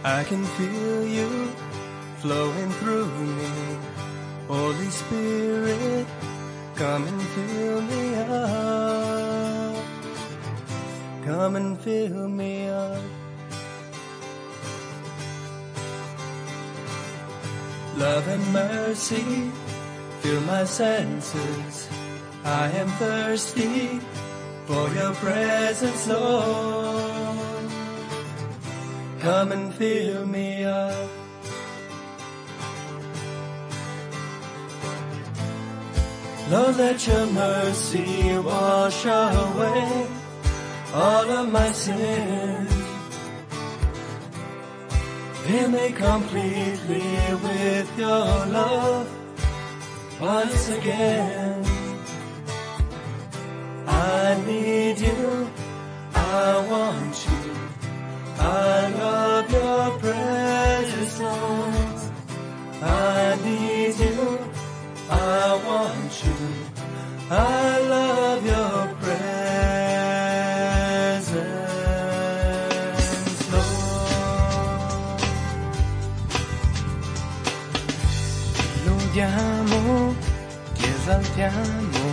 I can feel you flowing through me. Holy Spirit, come and fill me up. Come and fill me up. Love and mercy, fill my senses. I am thirsty for your presence, Lord. Come and fill me up. Lord, let your mercy wash away all of my sins. Fill me completely with your love once again. I need you, I want you, I love your presence, Lord. I need you, I want you, I love your presence, Lord. Lodiamo, ti esaltiamo,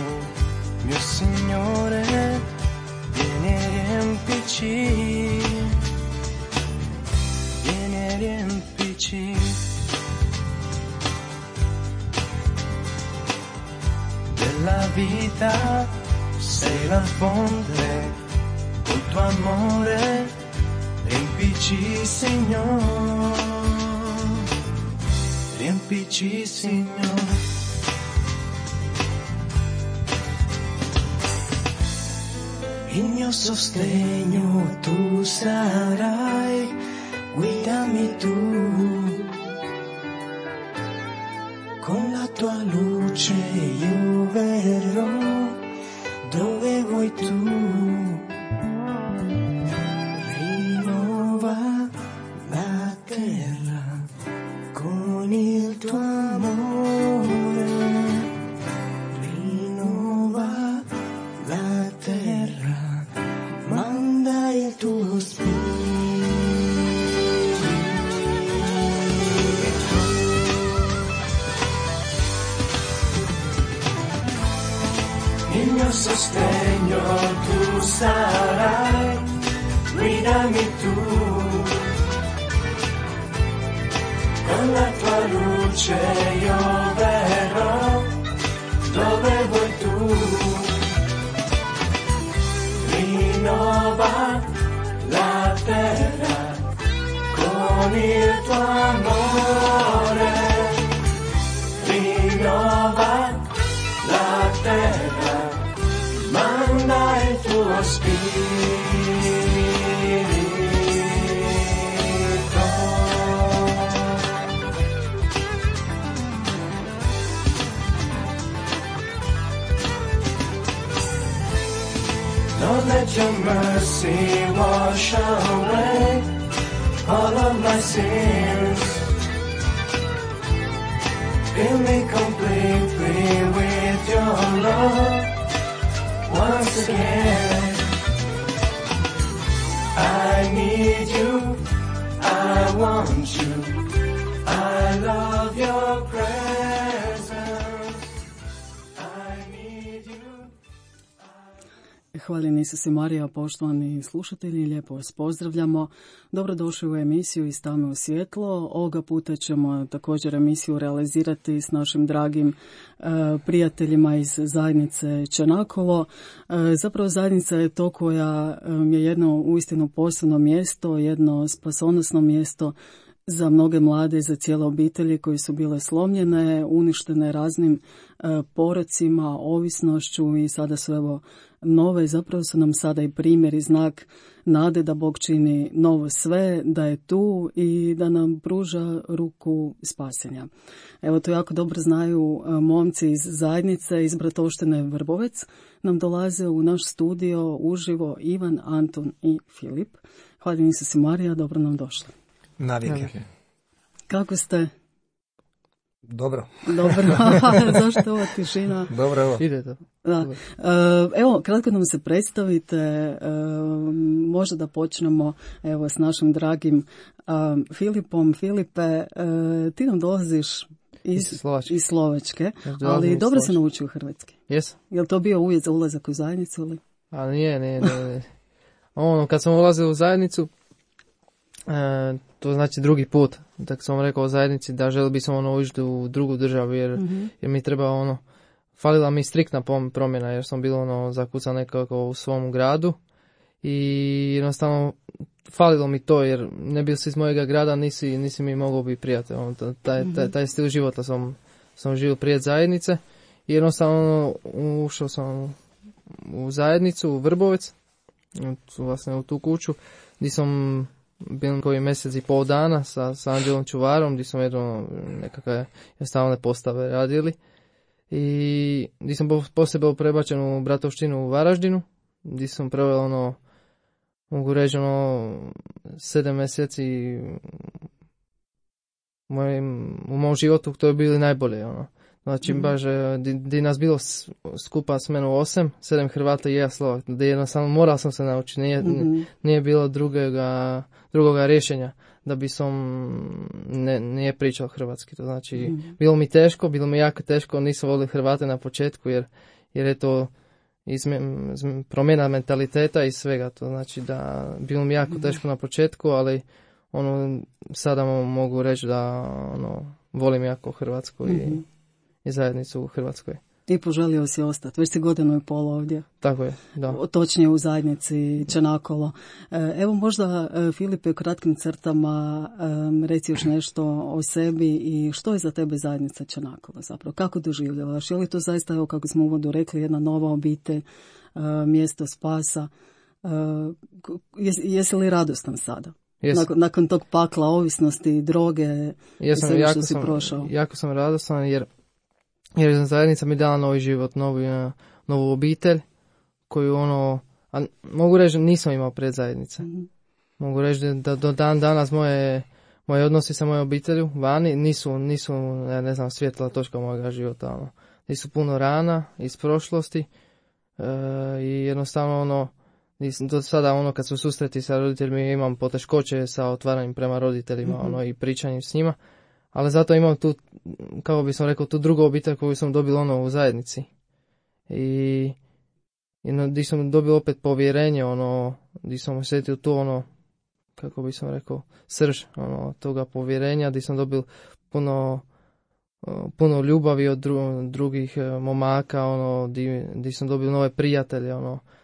mio Signore, vieni e riempici, vieni e riempici. Della vita sei la fonte, col tuo amore riempici, Signore, riempici, Signore. Il mio sostegno tu sarai, guidami tu, con la tua luce io verrò dove vuoi tu. Rinnova la terra con il tuo amore, rinnova la terra, manda il tuo spirito. Il mio sostegno tu sarai, guidami tu, con la tua luce io verrò dove vuoi tu. Rinnova la terra con il tuo amore, rinnova la terra, manda il tuo spirito. Lord, let your mercy wash away all of my sins. Fill me completely with your love once again. I need you, I want you, I love your presence. I need you. Hvaljen Isuse Marija, poštovani slušatelji, lijepo vas pozdravljamo. Dobrodošli u emisiju Iz tame u svjetlo. Ovoga puta ćemo također emisiju realizirati s našim dragim prijateljima iz zajednice Černakovo. Zapravo zajednica je to koja je jedno uistinu posebno mjesto, jedno spasonosno mjesto za mnoge mlade, za cijele obitelji koje su bile slomljene, uništene raznim porocima, ovisnošću i sada su evo nove. Zapravo su nam sada i primjer i znak nade da Bog čini novo sve, da je tu i da nam pruža ruku spasenja. Evo to jako dobro znaju momci iz zajednice, iz Bratoštine Vrbovec. Nam dolaze u naš studio uživo Ivan, Anton i Filip. Hvala Isuse Marija, dobro nam došli. Navike. Kako ste? Dobro. Dobro, zašto ova tišina? Dobro, evo. Ide to. Da. Evo, kratko nam se predstavite, možda da počnemo evo s našim dragim Filipom. Filipe, ti nam dolaziš iz Slovačke, ali dobro se naučio hrvatski. Jesam. Je li to bio uvjet za ulazak u zajednicu? Ili? A nije. Kad sam ulazio u zajednicu, to znači drugi put. Tako sam rekao o zajednici da želi bi sam ući u drugu državu jer mi treba falila mi striktna promjena jer sam bilo zakucan nekako u svom gradu i jednostavno falilo mi to jer ne bil si iz mojega grada, nisi mi mogao biti prijatelj. Taj stil života sam živio prije zajednice i jednostavno ušao sam u zajednicu, u Vrbovec, vlastne u tu kuću, gdje sam bil koji mjesec i pol dana sa Anđelom Čuvarom, gdje sam nekakve jednostavne postave radili. I gdje sam poslije bio prebačen u Bratovštinu u Varaždinu, gdje sam proveo mogu reći 7 mjeseci u mom životu, to je bili najbolje. Znači, baš, gdje nas bilo skupa s menom 7 Hrvata i ja Slovak, gdje jednostavno moral sam se naučiti, nije bilo drugoga rješenja da bi sam nije pričao hrvatski. To znači, bilo mi jako teško, nisam volio Hrvate na početku, jer je to promjena mentaliteta i svega. To znači da bilo mi jako teško na početku, ali sada mogu reći da volim jako Hrvatsku i zajednicu u Hrvatskoj. I poželio si ostati, već si 1.5 godina ovdje. Tako je, da. Točnije u zajednici Čenakolo. Evo možda, Filipe, u kratkim crtama reci još nešto o sebi i što je za tebe zajednica Čenakolo zapravo? Kako doživljavaš? Je li to zaista, evo kako smo u uvodu rekli, jedna nova obitelj, mjesto spasa? Jesi li radostan sada? Nakon tog pakla ovisnosti, droge i sve što si prošao? Jako sam radostan jer zajednica mi dala novi život, novu obitelj koju mogu reći nisam imao pred zajednice. Mogu reći da do dan danas moje odnosi sa mojom obitelju vani nisu ne znam, svjetla točka mojega života. Nisu puno rana iz prošlosti i jednostavno do sada kad su susreti sa roditeljima imam poteškoće sa otvaranjem prema roditeljima i pričanjem s njima. Ali zato imam tu, kako bi sam rekao, tu drugu obitelj koju sam dobio u zajednici. I gdje sam dobio opet povjerenje, gdje sam osjetio tu kako bi sam rekao, srž toga povjerenja, gdje sam dobio puno ljubavi od drugih momaka, gdje sam dobio nove prijatelje,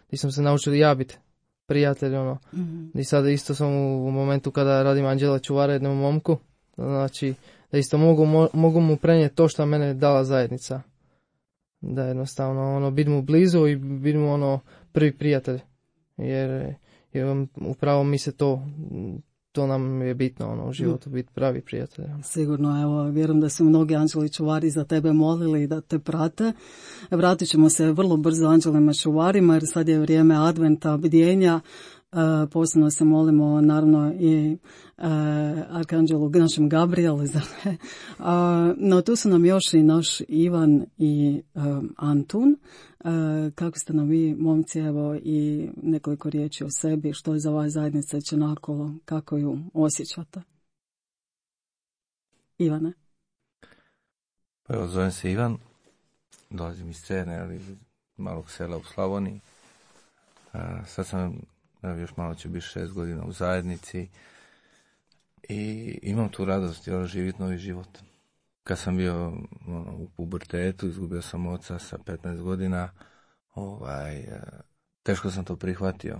gdje sam se naučio ja biti prijatelj, gdje sada isto sam u momentu kada radim Anđela Čuvara jednom momku, znači da isto mogu mu prenijeti to što mene dala zajednica. Da jednostavno biti mu blizu i biti mu prvi prijatelj. Jer upravo mi se to nam je bitno u životu, biti pravi prijatelj. Sigurno, evo, vjerujem da su mnogi Anđeli Čuvari za tebe molili da te prate. Vratit ćemo se vrlo brzo Anđelima Čuvarima jer sad je vrijeme adventa, bdjenja. Posebno se molimo naravno i Arkanđelu našem Gabrielu, no tu su nam još i naš Ivan i Antun. Kako ste nam vi, momci, evo i nekoliko riječi o sebi, što je za vas zajednica Čenakolo, kako ju osjećate? Ivane? Pa evo, zovem se Ivan, dolazim iz Cerne, ali iz malog sela u Slavoniji. Sad sam, još malo će biti 6 godina u zajednici i imam tu radost živjeti novi život. Kad sam bio u pubertetu, izgubio sam oca sa 15 godina, teško sam to prihvatio.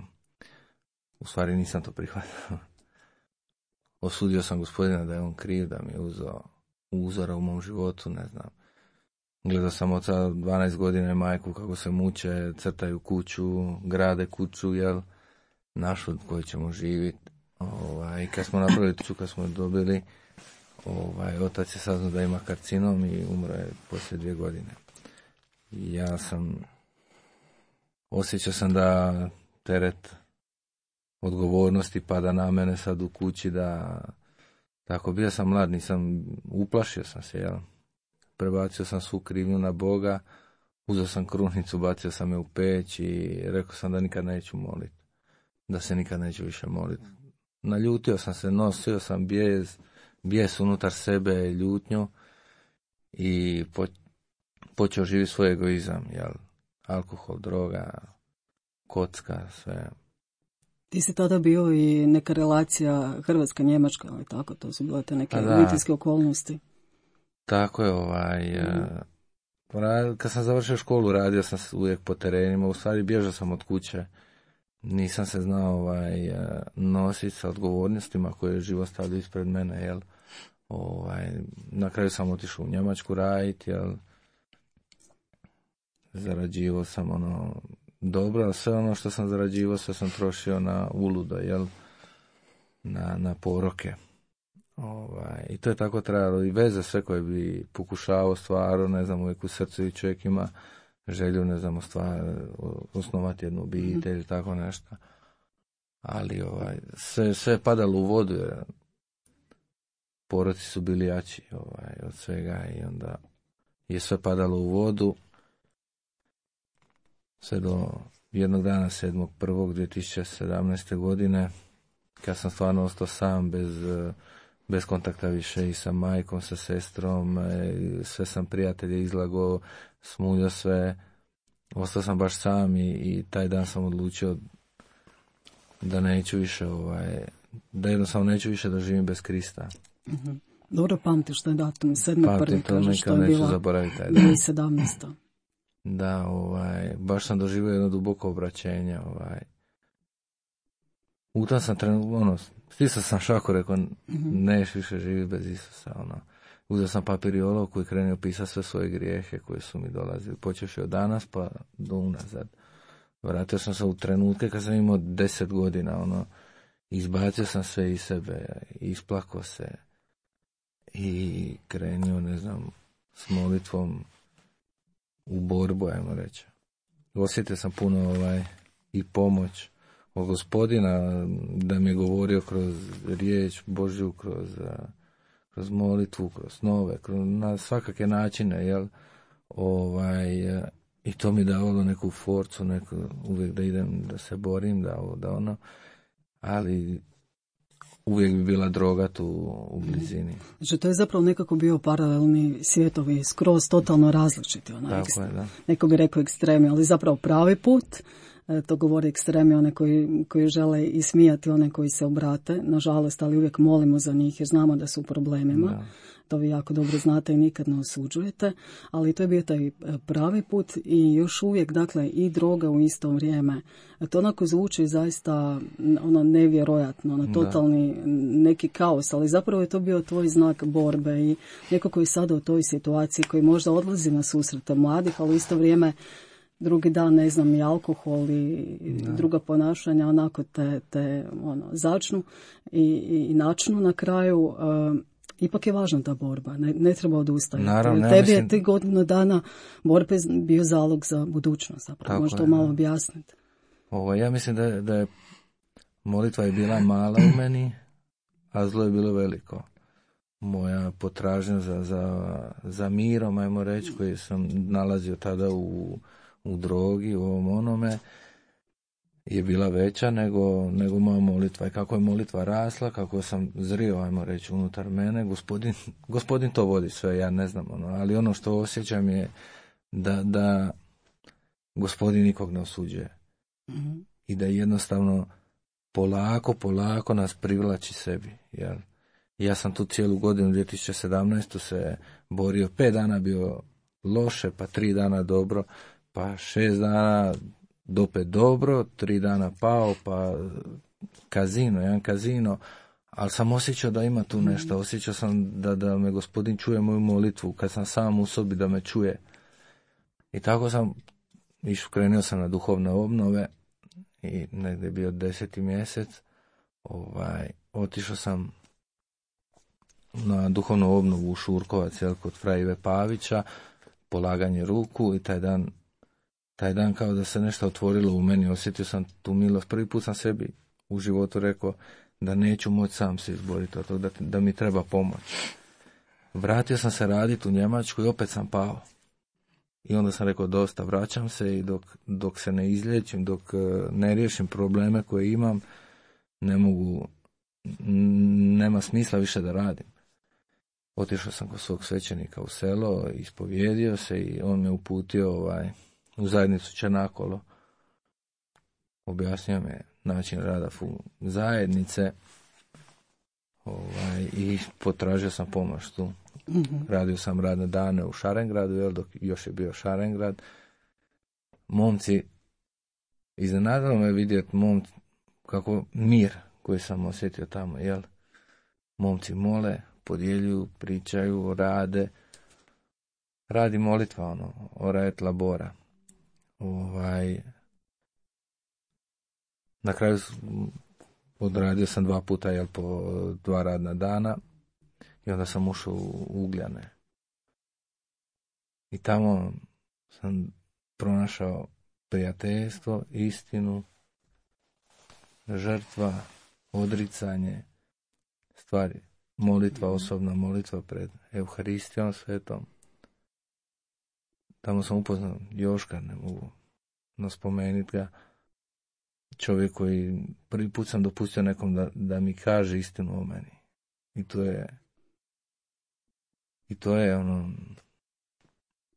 U stvari nisam to prihvatio. Osudio sam Gospodina da je on kriv, da mi je uzeo uzora u mom životu, ne znam. Gledao sam oca 12 godina i majku kako se muče, crtaju kuću, grade kuću, našu koju ćemo živjeti. I kad smo napravili kuću, kad smo dobili, otac je saznao da ima karcinom i umro je poslije 2 godine. I osjećao sam da teret odgovornosti pada na mene sad u kući, da tako bio sam mlad, uplašio sam se, prebacio sam svu krivnju na Boga, uzeo sam krunicu, bacio sam je u peć i rekao sam da nikad neću moliti. Da se nikad neću više moliti. Naljutio sam se, nosio sam bijes unutar sebe, ljutnju i počeo živjeti svoj egoizam, jel? Alkohol, droga, kocka, sve. Ti si tada bio i neka relacija Hrvatska-Njemačka, ali tako, to su bile te neke obiteljske okolnosti. Tako je, kad sam završio školu, radio sam uvijek po terenima, u stvari bježao sam od kuće. Nisam se znao nositi sa odgovornostima koje je život stavio ispred mene, jel? Na kraju sam otišao u Njemačku raditi, jel? Zarađivao sam dobro, a sve ono što sam zarađivao, sve sam trošio na uludo, jel? Na poroke. I to je tako trajalo. I veze sve koje bi pokušavao stvarno, ne znam, uvijek u srcu i čovjek ima želju, ne znam, osnovati jednu obitelj ili tako nešto. Ali sve je padalo u vodu, jer poroci su bili jači od svega i onda je sve padalo u vodu. Sve do jednog dana 7.1.2017. godine, kad sam stvarno ostao sam, bez kontakta više i sa majkom, sa sestrom, sve sam prijatelje izlagao, smuljao sve, ostao sam baš sam i taj dan sam odlučio da neću više, da jednostavno neću više da živim bez Krista. Mm-hmm. Dobro pamtiš taj datum, 7.1. kažeš što je bila 2017. Da, baš sam doživio jedno duboko obraćenje, U tom sam stisao sam šaku, rekao, neš više živi bez Isusa, Uzeo sam papir i olovku i krenio pisati sve svoje grijehe koje su mi dolazili, počevši od danas pa do unazad. Vratio sam se u trenutke kad sam imao 10 godina, izbacio sam sve iz sebe, isplakao se i krenio, ne znam, s molitvom u borbu, ajmo reći. Osjetio sam puno i pomoć od Gospodina, da mi je govorio kroz riječ Božju, kroz molitvu, kroz snove, na svakake načine, jel? I to mi davalo neku forcu, uvijek da idem, da se borim, ali uvijek bi bila droga tu u blizini. Znači, to je zapravo nekako bio paralelni svjetovi, skroz totalno različiti. Tako je, da. Neko bi rekao ekstremi, ali zapravo pravi put. To govori ekstremi, one koji žele ismijati one koji se obrate, nažalost, ali uvijek molimo za njih jer znamo da su u problemima. Da. To vi jako dobro znate i nikad ne osuđujete, ali to je bio taj pravi put i još uvijek, dakle, i droga u isto vrijeme. To onako zvuči zaista nevjerojatno, totalni neki kaos, ali zapravo je to bio tvoj znak borbe i neko koji je sada u toj situaciji, koji možda odlazi na susrete mladih, ali u isto vrijeme drugi dan, ne znam, i alkohol i druga ponašanja onako te začnu i načnu na kraju. Ipak je važna ta borba, ne treba odustajati. Naravno, tebi je ti godinu dana borbe bio zalog za budućnost, zapravo. Možda to malo objasniti. Ja mislim da je molitva je bila mala u meni, a zlo je bilo veliko. Moja potražnja za mirom, ajmo reći, koji sam nalazio tada u drogi, u ovom onome, je bila veća nego moja molitva. I kako je molitva rasla, kako sam zrio, ajmo reći, unutar mene, gospodin to vodi sve, ja ne znam, ali ono što osjećam je da Gospodin nikog ne osuđuje. Mm-hmm. I da jednostavno polako nas privlači sebi, jel? Ja sam tu cijelu godinu 2017. se borio, 5 dana bio loše, pa 3 dana dobro, pa 6 dana opet dobro, 3 dana pao, pa jedan kazino, ali sam osjećao da ima tu nešto, osjećao sam da me Gospodin čuje moju molitvu, kad sam sam u sobi da me čuje. I tako sam krenuo sam na duhovne obnove i negdje je bio 10. mjesec, otišao sam na duhovnu obnovu u Šurkovac, kod fra Ive Pavića, polaganje ruku i taj dan kao da se nešto otvorilo u meni, osjetio sam tu milost. Prvi put sam sebi u životu rekao da neću moći sam se izboriti od toga, da mi treba pomoć. Vratio sam se raditi u Njemačku i opet sam pao. I onda sam rekao dosta, vraćam se i dok se ne izliječim, dok ne riješim probleme koje imam, nema smisla više da radim. Otišao sam kod svog svećenika u selo, ispovjedio se i on me uputio u zajednicu Černakolo. Objasnio me način rada zajednice i potražio sam pomoć tu. Radio sam radne dane u Šarengradu, dok još je bio Šarengrad. Momci, iznenadilo me vidjeti kako mir koji sam osjetio tamo, momci mole, podjeljuju, pričaju, radi molitva, ora et labora. Na kraju odradio sam 2 puta, po 2 radna dana i onda sam ušao u Ugljane. I tamo sam pronašao prijateljstvo, istinu, žrtva, odricanje, stvari, molitva, osobna molitva pred Euharistijom svetom. Tamo sam upoznao Joška, ne mogu spomenuti ga, čovjek koji prvi put sam dopustio nekom da mi kaže istinu o meni. I to je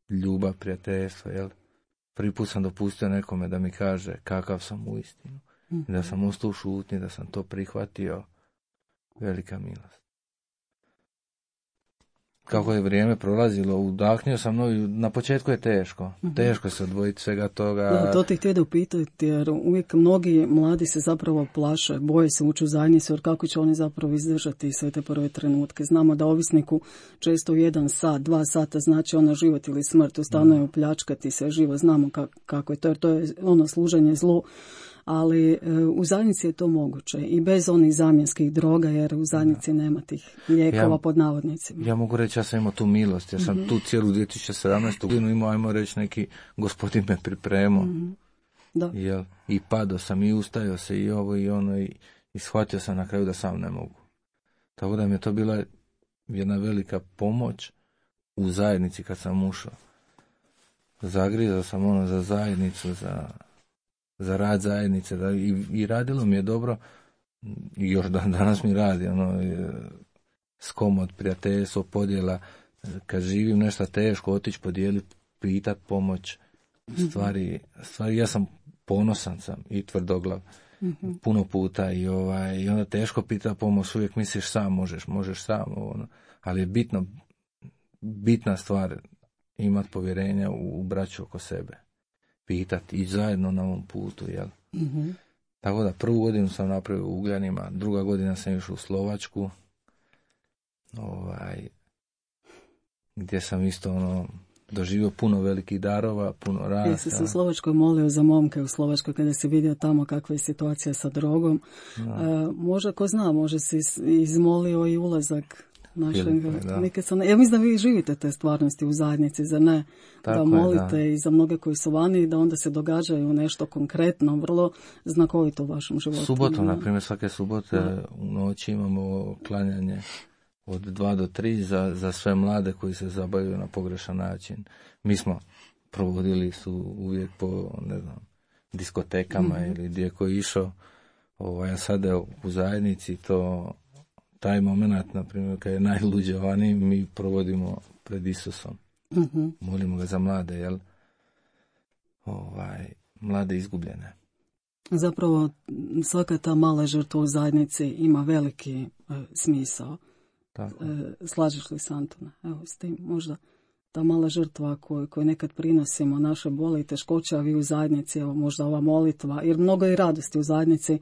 ljubav, prijateljstvo, Prvi put sam dopustio nekome da mi kaže kakav sam u istinu. I da sam ostao u šutnji, da sam to prihvatio. Velika milost. Kako je vrijeme prolazilo, udahnio sam na početku je teško. Teško se odvojiti svega toga. Da, to ti htio da upitati, jer uvijek mnogi mladi se zapravo plaše, boje se ući u zajednicu, jer kako će oni zapravo izdržati sve te prve trenutke. Znamo da ovisniku često u 1 sat, 2 sata znači život ili smrt, ustanuje upljačkati se živo, znamo kako je to, jer to je služenje zlu. Ali u zajednici je to moguće i bez onih zamjenskih droga, jer u zajednici nema tih lijekova pod navodnicima. Ja mogu reći, ja sam imao tu milost, ja sam tu cijelu 2017. godinu imao, ajmo reći, neki gospodin me pripremao. Da. I padao sam i ustajao se i ovo i ono i shvatio sam na kraju da sam ne mogu. Tako da mi je to bila jedna velika pomoć u zajednici kad sam ušao. Zagrizao sam za zajednicu, za rad zajednice i radilo mi je dobro i još danas mi radi skomot, prijateljstvo, podjela, kad živim nešto teško, otići podijeliti, pitat pomoć, stvari ja sam ponosan sam i tvrdoglav puno puta i onda teško pita pomoć, uvijek misliš sam možeš sam, ali je bitna stvar imati povjerenja u braću oko sebe. Pitati i zajedno na ovom putu, Tako da 1. godinu sam napravio u Ugljanima, 2. godina sam išao u Slovačku, gdje sam isto doživio puno velikih darova, puno rasta. Jesi se u Slovačkoj molio za momke u Slovačkoj kada si vidio tamo kakva je situacija sa drogom? Možda, ko zna, može si izmolio i ulazak našeg. Ja mislim da vi živite te stvarnosti u zajednici, za ne? Tako da molite i za mnoge koji su vani, da onda se događaju nešto konkretno, vrlo znakovito u vašem životu. Subotom, na primjer, svake subote u noći imamo klanjanje od 2 do 3 za sve mlade koji se zabavljaju na pogrešan način. Mi smo provodili su uvijek po, diskotekama ili gdje ko je išao, a sada u zajednici taj moment, na primjer, kad je najluđe vani, mi provodimo pred Isusom. Molimo ga za mlade, mlade izgubljene. Zapravo, svaka ta mala žrtva u zajednici ima veliki smisao. Slažeš li se, Antone? Evo, s tim možda ta mala žrtva koju nekad prinosimo, naše boli i teškoće, a vi u zajednici, evo, možda ova molitva, jer mnogo i radosti u zajednici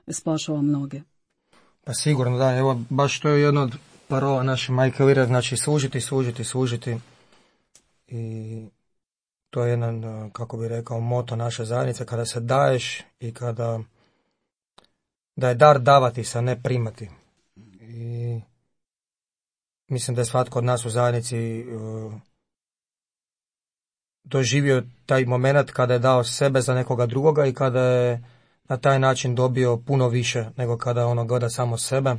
spašava mnoge. Pa sigurno, da, evo, baš to je jedna od parola naše majke Lire, znači služiti. I to je jedan, kako bi rekao, moto naše zajednice, kada se daješ i kada da je dar davati se, a ne primati. I mislim da je svatko od nas u zajednici doživio taj moment kada je dao sebe za nekoga drugoga i kada je na taj način dobio puno više nego kada gleda samo sebe.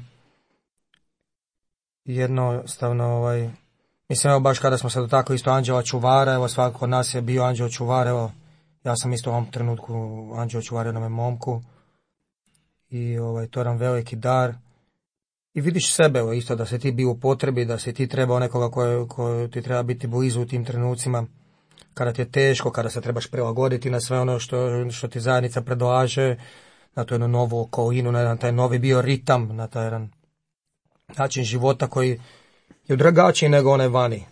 jednostavno, mislim, evo baš kada smo se dotakli isto anđela čuvara, evo svako od nas je bio anđeo čuvar, evo, ja sam isto u ovom trenutku anđeo čuvar jednom momku i to je nam veliki dar. I vidiš sebe, evo, isto da se ti bio u potrebi, da si ti trebao nekoga ko ti treba biti blizu u tim trenucima, kada ti je teško, kada se trebaš prilagoditi na sve ono što ti zajednica predlaže, na tu jednu novu okolinu, na jedan taj novi bioritam, na taj jedan način života koji je drugačiji nego onaj vani.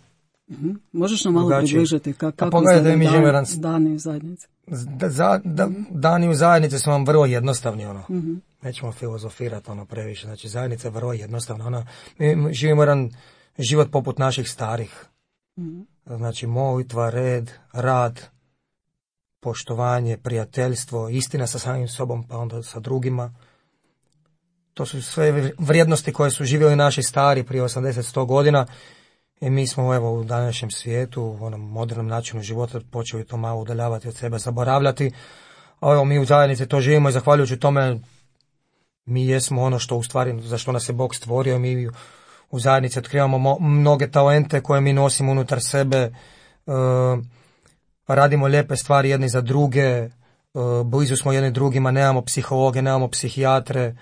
Mm-hmm. Možeš nam malo približiti kako izgleda dani u zajednici? Dani u zajednici su vam vrlo jednostavni, Mm-hmm. Nećemo filozofirati previše, znači zajednica je vrlo jednostavna, mi živimo jedan život poput naših starih. Mm-hmm. Znači molitva, red, rad, poštovanje, prijateljstvo, istina sa samim sobom pa onda sa drugima. To su sve vrijednosti koje su živjeli naši stari prije 80-100 godina i mi smo evo u današnjem svijetu, u onom modernom načinu života počeli to malo udaljavati od sebe, zaboravljati. A evo mi u zajednici to živimo i zahvaljujući tome mi jesmo ono što u stvari, za što nas je Bog stvorio. Mi u zajednici otkrivamo mnoge talente koje mi nosimo unutar sebe, radimo lijepe stvari jedni za druge, blizu smo jedni drugima, nemamo psihologe, nemamo psihijatre,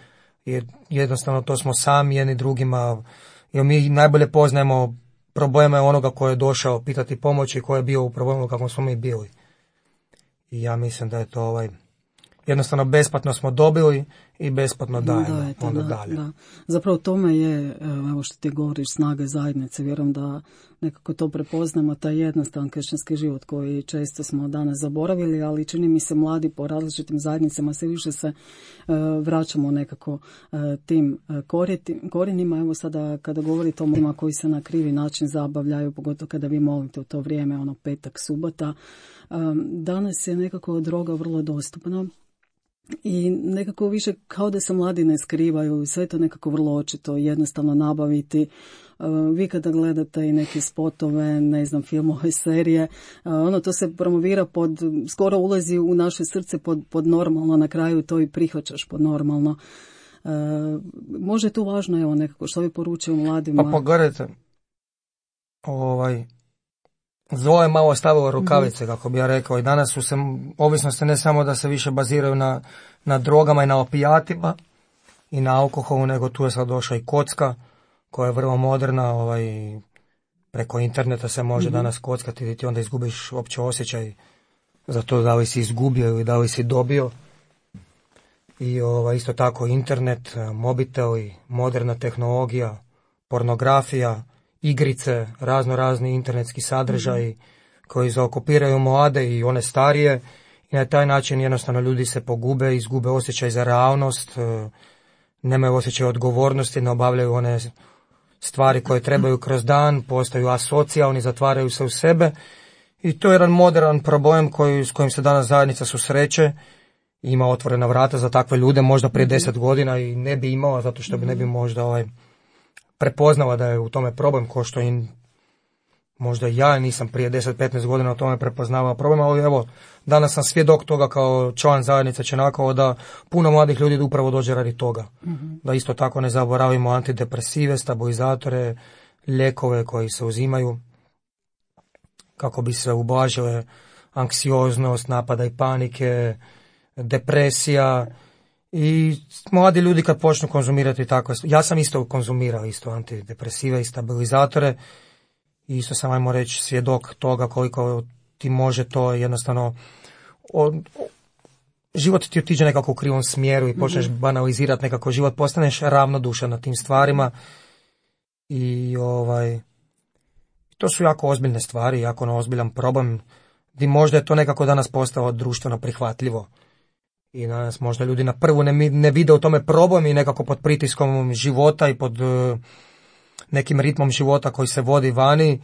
jer jednostavno to smo sami jedni drugima, jer mi najbolje poznajemo probleme onoga ko je došao pitati pomoći i ko je bio u problemu kako smo mi bili. I ja mislim da je to jednostavno besplatno smo dobili i besplatno dajemo onda dalje. Da. Zapravo tome je, evo što ti govoriš, snage zajednice. Vjerujem da nekako to prepoznamo, taj jednostavan kršćanski život koji često smo danas zaboravili, ali čini mi se mladi po različitim zajednicama sve više se vraćamo nekako tim korijenima. Evo sada kada govorite o mojima koji se na krivi način zabavljaju, pogotovo kada vi molite u to vrijeme, petak, subota, danas je nekako droga vrlo dostupna. I nekako više kao da se mladi ne skrivaju, sve to nekako vrlo očito, jednostavno nabaviti. Vi kada gledate i neke spotove, ne znam, filmove, serije, to se promovira skoro ulazi u naše srce pod normalno, na kraju to i prihvaćaš pod normalno. Može tu važno, evo nekako, što vi poručuju mladima? Pa pogledajte, zlo je malo stavilo rukavice, kako bi ja rekao, i danas su se ovisnosti ne samo da se više baziraju na drogama i na opijatima i na alkoholu, nego tu je sad došla i kocka koja je vrlo moderna, preko interneta se može danas kockati i ti onda izgubiš uopće osjećaj za to da li si izgubio ili da li si dobio. I isto tako internet, mobiteli, moderna tehnologija, pornografija, igrice, razni internetski sadržaji koji zaokupiraju mlade i one starije i na taj način jednostavno ljudi se pogube, izgube osjećaj za realnost, nemaju osjećaj odgovornosti, ne obavljaju one stvari koje trebaju kroz dan, postaju asocijalni, zatvaraju se u sebe i to je jedan modern problem s kojim se danas zajednica susreće. Ima otvorena vrata za takve ljude, možda prije 10 godina i ne bi imala, zato što bi ne bi možda prepoznala da je u tome problem, ko što i možda ja nisam prije 10-15 godina o tome prepoznavao problem, ali evo, danas sam svjedok toga kao član zajednice Čenakova da puno mladih ljudi upravo dođe radi toga. Da isto tako ne zaboravimo antidepresive, stabilizatore, lijekove koji se uzimaju kako bi se ublažile anksioznost, napada i panike, depresija. I mladi ljudi kad počnu konzumirati tako, ja sam isto konzumirao antidepresive i stabilizatore i isto sam, ajmo reći, svjedok toga koliko ti može to jednostavno, život ti otiđe nekako u krivom smjeru i počneš banalizirati nekako život, postaneš ravnodušan na tim stvarima i to su jako ozbiljne stvari, jako ozbiljan problem gdje možda je to nekako danas postalo društveno prihvatljivo. I danas možda ljudi na prvu ne vide u tome problem i nekako pod pritiskom života i pod nekim ritmom života koji se vodi vani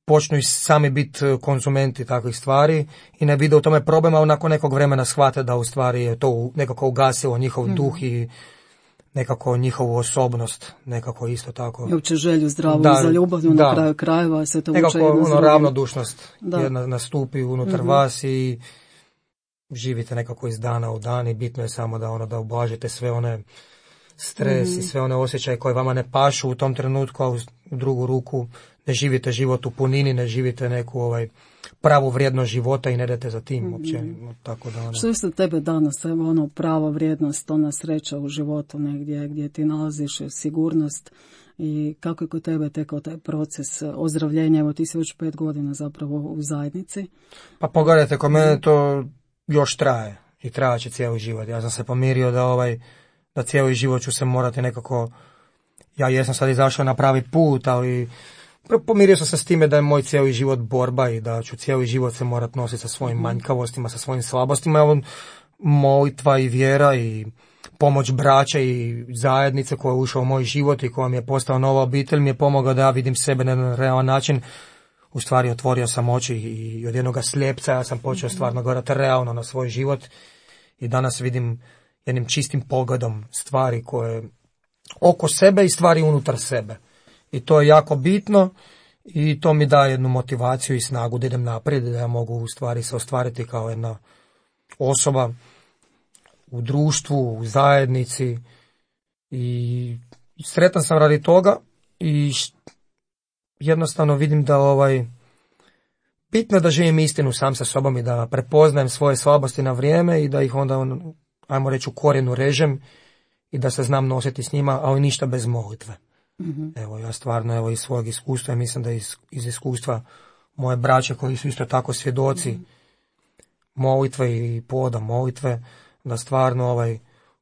počnu i sami biti konzumenti takvih stvari i ne vide u tome problem, a nakon nekog vremena shvate da u stvari je to nekako ugasilo njihov duh i nekako njihovu osobnost, nekako isto tako. I uopće želju zdravu za ljubav na kraju krajeva se to uče jedno nekako ravnodušnost jedna nastupi unutar vas i živite nekako iz dana u dan i bitno je samo da ublažite sve one stres i sve one osjećaje koje vama ne pašu u tom trenutku, a u drugu ruku ne živite život u punini, ne živite neku pravu vrijednost života i ne idete za tim uopće. Tako da, Što je za tebe danas, prava vrijednost, ona sreća u životu negdje gdje ti nalaziš sigurnost i kako je kod tebe tekao taj proces ozdravljenja? Evo, ti si već 5 godina zapravo u zajednici. Pa pogledajte, kod mene to još traje i trajat će cijeli život. Ja sam se pomirio da cijeli život ću se morati nekako, ja jesam sad izašao na pravi put, ali pomirio sam se s time da je moj cijeli život borba i da ću cijeli život se morat nositi sa svojim manjkavostima, sa svojim slabostima. Molitva i vjera i pomoć braća i zajednice koja je ušla u moj život i koja mi je postala nova obitelj mi je pomogla da ja vidim sebe na jedan realan način. U stvari otvorio sam oči i od jednog slijepca ja sam počeo stvarno gledati realno na svoj život i danas vidim jednim čistim pogledom stvari koje oko sebe i stvari unutar sebe. I to je jako bitno i to mi daje jednu motivaciju i snagu da idem naprijed, da ja mogu u stvari se ostvariti kao jedna osoba u društvu, u zajednici i sretan sam radi toga i jednostavno vidim da bitno je da živim istinu sam sa sobom i da prepoznajem svoje slabosti na vrijeme i da ih onda, ajmo reći, u korijenu režem i da se znam nositi s njima, ali ništa bez molitve. Evo, ja stvarno iz svojeg iskustva i mislim da iz iskustva moje braće koji su isto tako svjedoci molitve i povoda molitve, da stvarno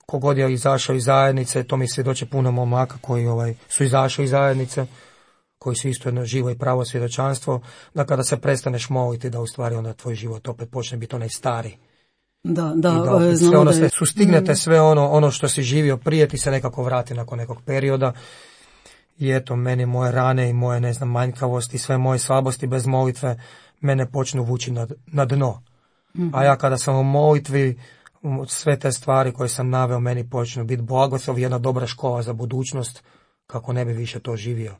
kogod je izašao iz zajednice, to mi svjedoče puno momaka koji su izašli iz zajednice, koji su isto jedno živo i pravo svjedočanstvo, da kada se prestaneš moliti, da u stvari onda tvoj život opet počne biti onaj stari. Da, sve ono sve sustignete, sve ono što si živio prije ti se nekako vrati nakon nekog perioda. I eto, meni moje rane i moje, ne znam, manjkavosti, sve moje slabosti bez molitve mene počnu vući na dno. A ja kada sam u molitvi, sve te stvari koje sam naveo meni počnu biti blagoslov, jedna dobra škola za budućnost, kako ne bi više to živio.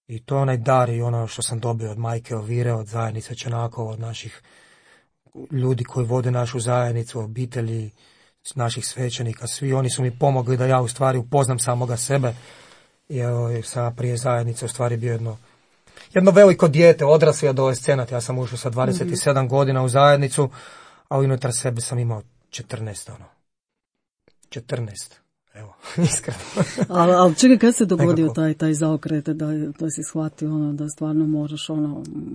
I to je onaj dar i ono što sam dobio od majke Elvire, od zajednice Čenakova, od naših ljudi koji vode našu zajednicu, obitelji, naših svećenika, svi oni su mi pomogli da ja u stvari upoznam samoga sebe. I evo, sam prije zajednice u stvari bio jedno veliko dijete, odrasli adolescenat. Ja sam ušao sa 27 godina u zajednicu, a unutar sebe sam imao 14. 14. Evo, iskreno. ali čekaj, kad se dogodio taj zaokret, da si shvatio da stvarno moraš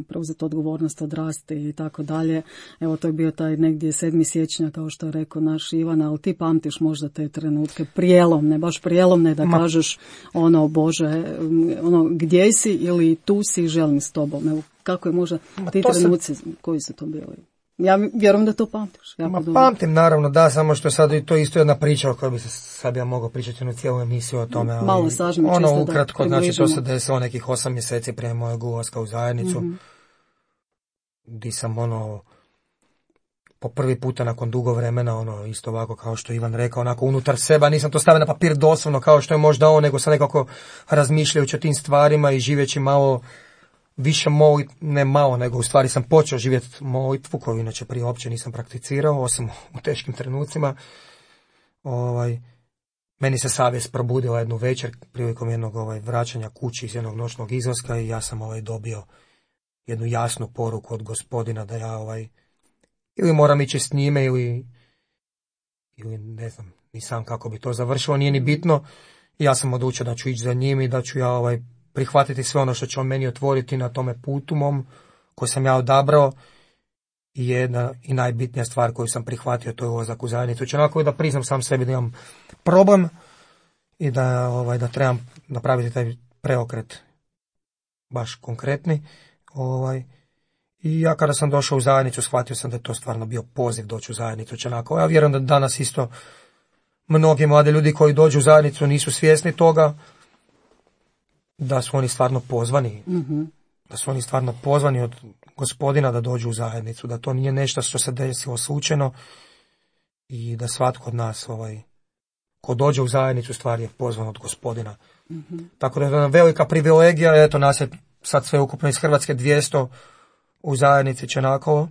preuzeti odgovornost, odrasti i tako dalje. Evo, to je bio taj negdje 7. siječnja, kao što je rekao naš Ivan, ali ti pamtiš možda te trenutke prijelomne, baš prijelomne, da kažeš Bože, gdje si ili tu si, želim s tobom. Evo, kako je možda ti trenuci, koji su to bili? Ja vjerujem da to pamtiš. Pamtim, naravno, da, samo što sad to isto jedna priča o kojoj bi se sad ja mogao pričati na cijelu emisiju o tome. Ali malo sažmi, čisto ukratko, znači to se desilo nekih 8 mjeseci prije mojeg ulaska u zajednicu, di sam po prvi puta nakon dugo vremena, isto ovako kao što Ivan rekao, onako unutar sebe, nisam to stavio na papir doslovno kao što je možda nego sam nekako razmišljajući o tim stvarima i živeći malo više ne malo, nego u stvari sam počeo živjeti molitvu koju inače prije uopće nisam prakticirao, osim u teškim trenucima. Meni se savjest probudila jednu večer prilikom jednog vraćanja kući iz jednog noćnog izlaska i ja sam dobio jednu jasnu poruku od Gospodina da ja ili moram ići s njime ili ne znam, ni sam kako bi to završilo, nije ni bitno. Ja sam odlučio da ću ići za njim i da ću ja prihvatiti sve ono što će on meni otvoriti na tome putu mom koji sam ja odabrao. I jedna i najbitnija stvar koju sam prihvatio, to je ulazak u zajednicu Čenakova, da priznam sam sebi da imam problem i da trebam napraviti taj preokret baš konkretni. I ja kada sam došao u zajednicu shvatio sam da je to stvarno bio poziv doći u zajednicu Čenakova. Ja vjerujem da danas isto mnogi mladi ljudi koji dođu u zajednicu nisu svjesni toga, da su oni stvarno pozvani, da su oni stvarno pozvani od Gospodina da dođu u zajednicu, da to nije nešto što se desilo slučajno i da svatko od nas ko dođe u zajednicu stvari je pozvan od Gospodina. Tako da je jedna velika privilegija, eto nas je sad sve ukupno iz Hrvatske 200 u zajednici Čenakovo,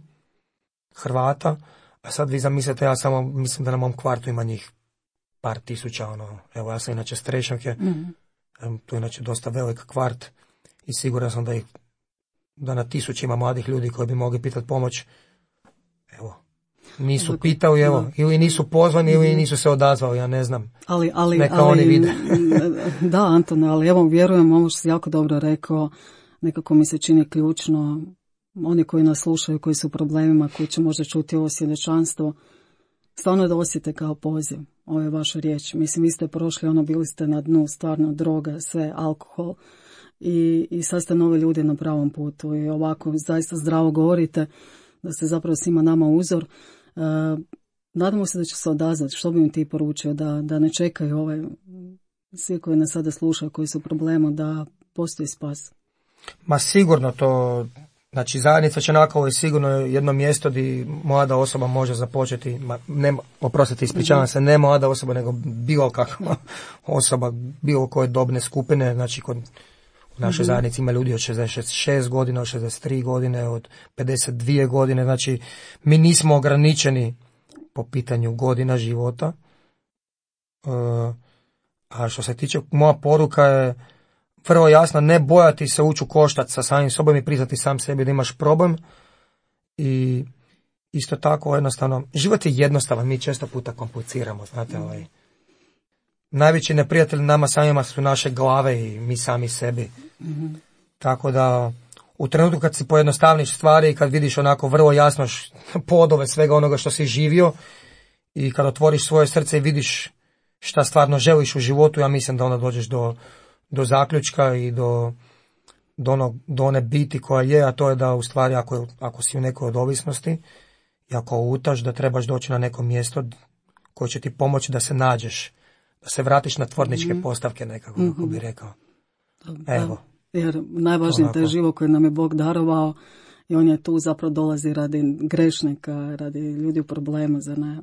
Hrvata, a sad vi zamislite, ja samo mislim da na mom kvartu ima njih par tisuća, evo ja sam inače Strešnjake, tu je inače dosta velik kvart i siguran sam da na tisućima mladih ljudi koji bi mogli pitati pomoć, evo, nisu pitali, evo, ili nisu pozvani ili nisu se odazvali, ja ne znam. Neka oni vide. Da, Antone, ali evo vjerujem, ovo što si jako dobro rekao, nekako mi se čini ključno, oni koji nas slušaju, koji su u problemima, koji će možda čuti ovo svjedočanstvo, stvarno da osjete kao poziv. Ovo je vaša riječ. Mislim, vi ste prošli, bili ste na dnu, stvarno, droga, sve, alkohol. I sad ste nove ljude na pravom putu. I ovako, zaista zdravo govorite, da ste zapravo svima nama uzor. Nadamo se da će se odazvati. Što bi im ti poručio? Da ne čekaju svi koji nas sada slušaju, koji su u problemu, da postoji spas. Ma sigurno to... Znači, zajednica Čenakolo je sigurno jedno mjesto gdje mlada osoba može započeti, ispričavam se, ne mlada osoba, nego bilo kakva osoba, bilo koje dobne skupine, znači u našoj zajednici ima ljudi od 66 godina, od 63 godine, od 52 godine, znači mi nismo ograničeni po pitanju godina života, a što se tiče, moja poruka je vrlo jasno, ne bojati se ući u koštac sa samim sobom i priznati sam sebi da imaš problem. I isto tako jednostavno, život je jednostavan, mi često puta kompliciramo, znate, najveći neprijatelji nama samima su naše glave i mi sami sebi. Tako da, u trenutku kad si pojednostavniš stvari i kad vidiš onako vrlo jasno podove svega onoga što si živio i kad otvoriš svoje srce i vidiš šta stvarno želiš u životu, ja mislim da onda dođeš do zaključka i do one biti koja je, a to je da u stvari ako si u nekoj od ovisnosti i ako lutaš, da trebaš doći na neko mjesto koje će ti pomoći da se nađeš, da se vratiš na tvorničke postavke nekako, kako bi rekao. Evo. Jer najvažnije je život koji nam je Bog darovao i on je tu zapravo dolazi radi grešnika, radi ljudi u problemu, za ne,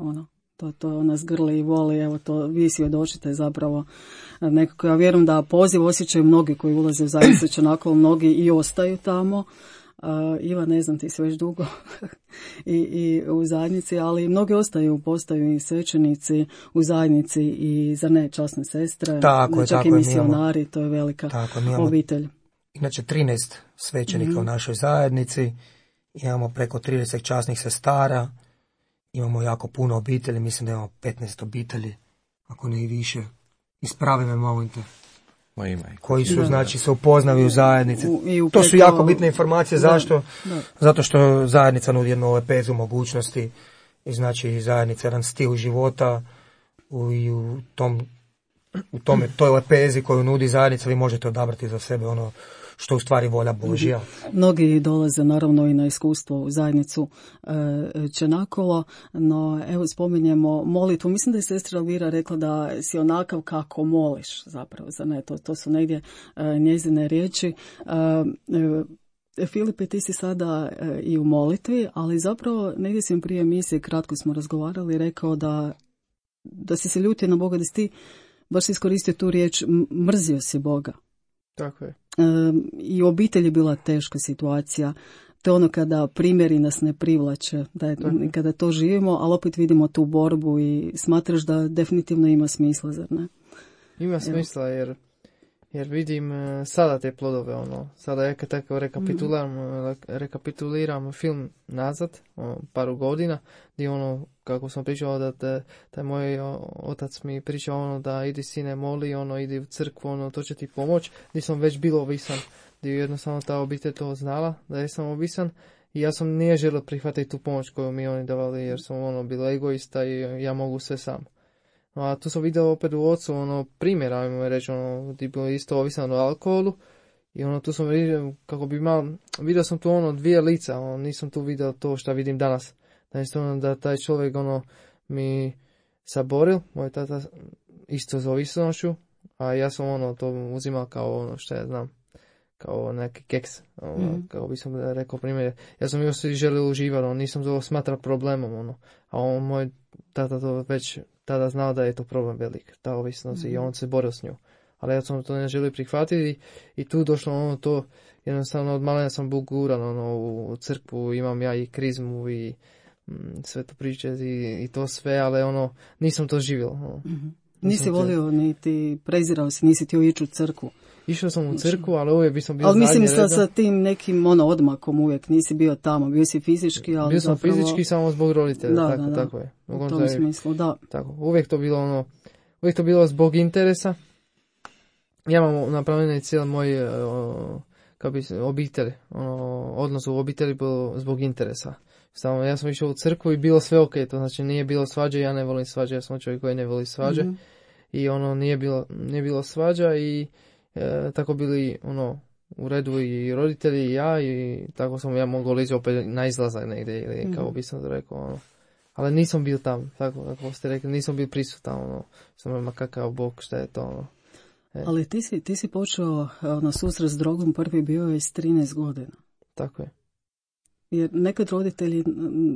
To nas grli i voli, evo to vi svjedočite zapravo nekako. Ja vjerujem da poziv osjećaju mnogi koji ulaze u zajednicu Čenakolo, mnogi i ostaju tamo. Iva, ne znam, ti si već dugo i u zajednici, ali mnogi postaju i svećenici u zajednici i za ne časne sestre, čak i misionari, to je velika obitelj. Inače 13 svećenika u našoj zajednici, imamo preko 30 časnih sestara, imamo jako puno obitelji, mislim da imamo 15 obitelji, ako ne i više. Ispravi me, molim te. Koji su, znači, se upoznali u zajednici. To su jako bitne informacije. Zašto? Zato što zajednica nudi jednu lepezu mogućnosti i znači zajednica jedan stil života i toj lepezi koju nudi zajednica vi možete odabrati za sebe ono što u stvari volja Božja. Mnogi dolaze naravno i na iskustvo u zajednicu Čenakolo, no evo spominjemo molitvu. Mislim da je sestra Elvira rekla da si onakav kako moliš zapravo, za ne, to su negdje njezine riječi. Filipe, ti si sada i u molitvi, ali zapravo negdje sam prije emisije, kratko smo razgovarali, rekao da si se ljutio na Boga, da si ti baš iskoristio tu riječ, mrzio si Boga. Tako je. I u obitelji je bila teška situacija. To je ono kada primjeri nas ne privlače, kada to živimo, ali opet vidimo tu borbu i smatraš da definitivno ima smisla, zar ne? Ima smisla jer vidim sada te plodove, sada ja tako rekapituliram film nazad, paru godina, gdje kako sam pričao da moj otac mi pričao da idi sine moli, idi u crkvu, to će ti pomoć, gdje sam već bilo ovisan, gdje jednostavno ta obitelj to znala, da je sam ovisan i ja sam nije želio prihvatiti tu pomoć koju mi oni davali, jer sam bila egoista i ja mogu sve sam. A tu sam vidio opet u ocu primjer, ajmo reći, gdje bio isto ovisan o alkoholu i tu sam vidio, kako bi vidio sam tu dvije lica, nisam tu vidio to što vidim danas. Da taj čovjek mi saboril, moj tata isto za ovisnošću, a ja sam to uzimao kao što ja znam, kao neki keks, kako bi sam rekao primjer. Ja sam još želio uživati, nisam to smatrao problemom, a moj tata to već tada znao da je to problem velik, ta ovisnost i on se borio s nju. Ali ja sam to ne želio prihvatiti i tu došlo to, jednostavno od malena sam bio guran u crkvu, imam ja i krizmu i sve to priče i to sve, ali nisam to živio. Nisi volio, niti prezirao si, nisi htio ići u crkvu. Išao sam u crkvu, ali uvijek bi sam bio ali mislim zadnje reda. sa tim nekim odmakom uvijek, nisi bio tamo, bio si fizički, ali bio sam zapravo... fizički samo zbog roditelja, tako je. U tom smislu, da. Tako, uvijek to bilo zbog interesa. Ja imam napravljeno cijel moj obitelj, odnos u obitelji bilo zbog interesa. Samo ja sam išao u crkvu i bilo sve ok, to znači nije bilo svađe, ja ne volim svađe, ja sam čovjek koji ne voli svađe. Mm-hmm. I nije bilo svađa i tako bili u redu i roditelji i ja i tako sam ja mogao lići opet na izlazak negdje ili kako bi sam to rekao. Ali nisam bio tam, tako kako ste rekli, nisam bio prisutan, sam ima kakav bog, šta je to. Ali ti si počeo na susret s drogom, prvi bio je s 13 godina. Tako je. Jer nekad roditelji,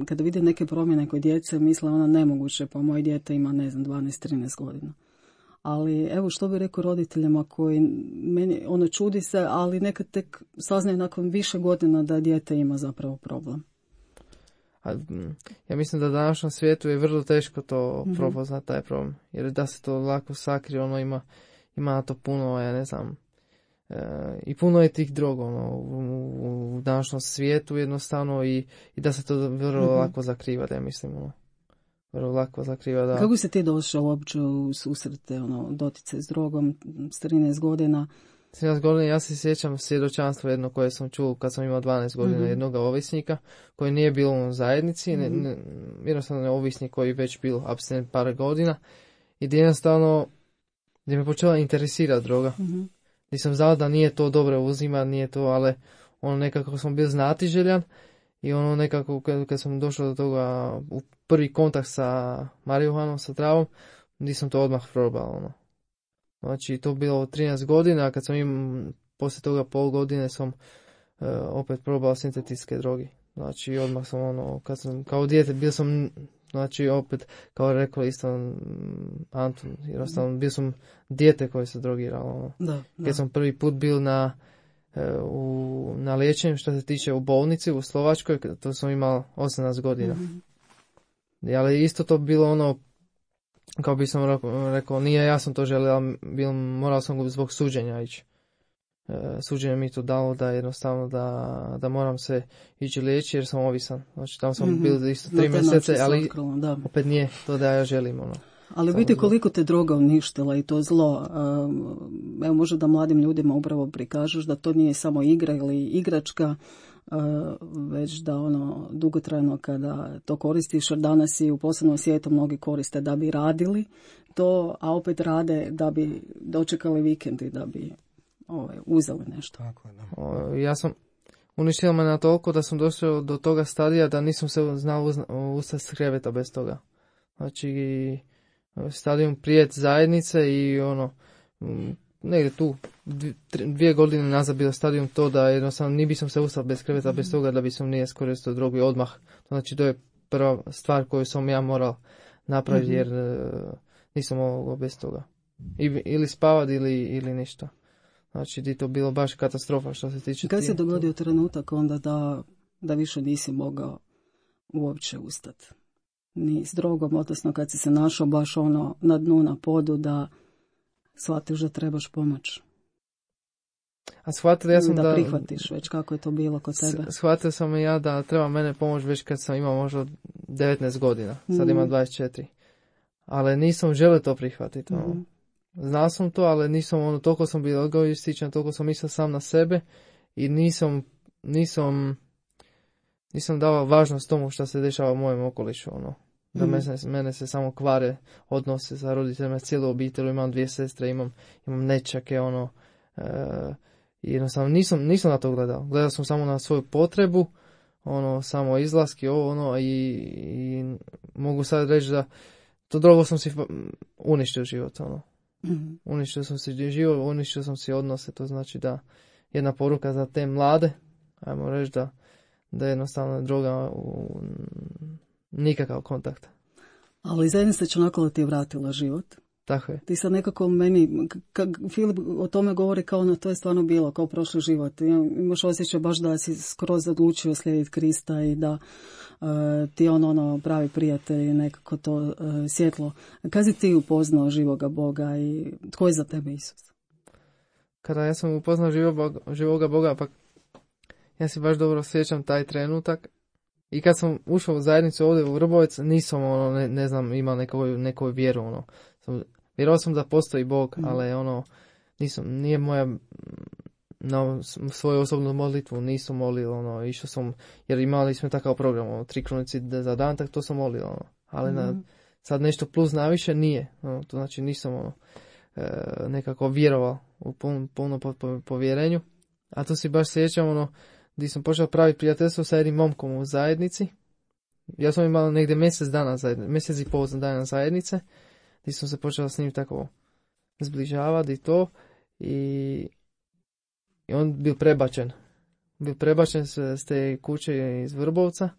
kada vide neke promjene kod djece, misle nemoguće, pa moje dijete ima, 12-13 godina. Ali evo što bi rekao roditeljima koji, meni čudi se, ali nekad tek saznaju nakon više godina da dijete ima zapravo problem. Ja mislim da u današnjem svijetu je vrlo teško to prepoznati taj problem. Jer da se to lako sakrije, ima na to puno, ja ne znam, i puno je tih droga u današnjem svijetu jednostavno i da se to vrlo lako zakriva, da mislim, vrlo lako zakriva. Da. Kako si ti došao uopće u susrete, dotice s drogom, s 13 godina? 13 godina, ja se sjećam svjedočanstva jedno koje sam čuo kad sam imao 12 godina, jednog ovisnika koji nije bio u zajednici, jednostavno je ovisnik koji već bio apstinent par godina i jednostavno gdje me počela interesirati droga. Nisam znao da nije to dobro uzima, nije to, ali nekako sam bio znatiželjan i nekako kad sam došao do toga u prvi kontakt sa marihuanom, sa travom, nisam to odmah probao. Znači to bilo 13 godina, a kad sam poslije toga pol godine sam opet probao sintetske droge. Znači odmah sam kad sam kao dijete bio sam, znači opet kao rekao isto Antun, jednostavno bio sam dijete koje se drogiralo. Kad sam prvi put bio na liječenju što se tiče u bolnici u Slovačkoj, to sam imao 18 godina. Ali isto to bilo kao bi sam rekao, nije ja sam to želio, ali morao sam zbog suđenja ići. Suđenje mi to dalo da jednostavno da moram se ići liječiti jer sam ovisan. Znači tamo sam bio isto 3 mjesece, ali opet nije to da ja želim. Ali vidite koliko te droga uništila i to zlo. Evo možda da mladim ljudima upravo prikažeš da to nije samo igra ili igračka, već da dugotrajno kada to koristiš, jer danas i u posebnom svijetu mnogi koriste da bi radili to, a opet rade da bi dočekali vikendi, da bi uzeli nešto. Tako, da. Ja sam uništila me na toliko da sam došao do toga stadija da nisam se znao ustati s kreveta bez toga. Znači stadijum prijet zajednice i negdje tu 2 godine nazad bilo stadijum to da jednostavno ni bi sam se ustao bez kreveta bez toga da bi sam nije iskoristio drogu i odmah. Znači to je prva stvar koju sam ja moral napraviti jer nisam mogao bez toga. Ili spavati ili ništa. Znači di to bilo baš katastrofa što se tiče. Kad se dogodio trenutak onda da više nisi mogao uopće ustati? Ni s drogom, odnosno kad si se našao baš na dnu, na podu, da shvatiš da trebaš pomoć. A shvatio ja sam da prihvatiš već kako je to bilo kod tebe. Shvatio sam i ja da treba mene pomoć već kad sam imao možda 19 godina, sad imam 24. Ali nisam želio to prihvatiti. Znao sam to, ali nisam toliko sam bio egoističan, toliko sam mislio sam na sebe i nisam dao važnost tomu što se dešava u mojem okolišu. Da mene se samo kvare odnose sa roditeljima, cijelu obitelju, imam 2 sestre, imam nečake, jednostavno nisam na to gledao. Gledao sam samo na svoju potrebu, samo izlaski, i mogu sad reći da to drogo sam si uništio život, Uništio sam si život, uništio sam si odnose, to znači da jedna poruka za te mlade, ajmo reći da jednostavno droga nikakav kontakt. Ali zajednica će onako da ti je vratila život. Tako je. Ti sad nekako meni, Filip o tome govori kao to je stvarno bilo, kao prošli život. Imaš osjećaj baš da si skroz odlučio slijediti Krista i da ti ono pravi prijatelj i nekako to svjetlo. Kad si ti upoznao živoga Boga i tko je za tebe Isus? Kada ja sam upoznao živoga Boga, pa ja se baš dobro sjećam taj trenutak. I kad sam ušao u zajednicu ovdje u Vrbovec, nisam ne znam, imao neku vjeru. Vjerovao sam da postoji Bog, ali nije moja na svoju osobnu molitvu nisam molio, išao sam, jer imali smo takav program, 3 krunici za dan, tak to sam molio, ali sad nešto plus naviše nije, to znači nisam nekako vjerovao u puno povjerenju, a to si baš sjećam, gdje sam počeo praviti prijateljstvo sa jednim momkom u zajednici. Ja sam imao negdje mjesec i pol dana zajednice, gdje sam se počeo s njim tako zbližavati i to, i on bio prebačen. Bio prebačen s te kuće iz Vrbovca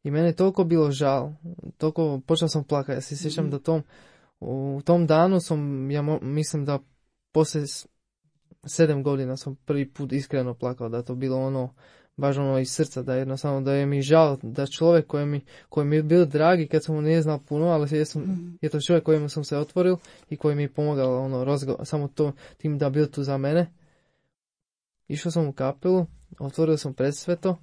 i mene je toliko bilo žal, toliko počeo sam plakati. Ja se sjećam da u tom danu mislim da poslije 7 godina sam prvi put iskreno plakao, da to bilo baš iz srca, da jednostavno da je mi žal da čovjek koji mi je bio dragi kad sam mu nije znao puno, ali je to čovjek kojemu sam se otvoril i koji mi je pomogao samo tim da bio tu za mene. Išao sam u kapelu, otvorio sam predsveto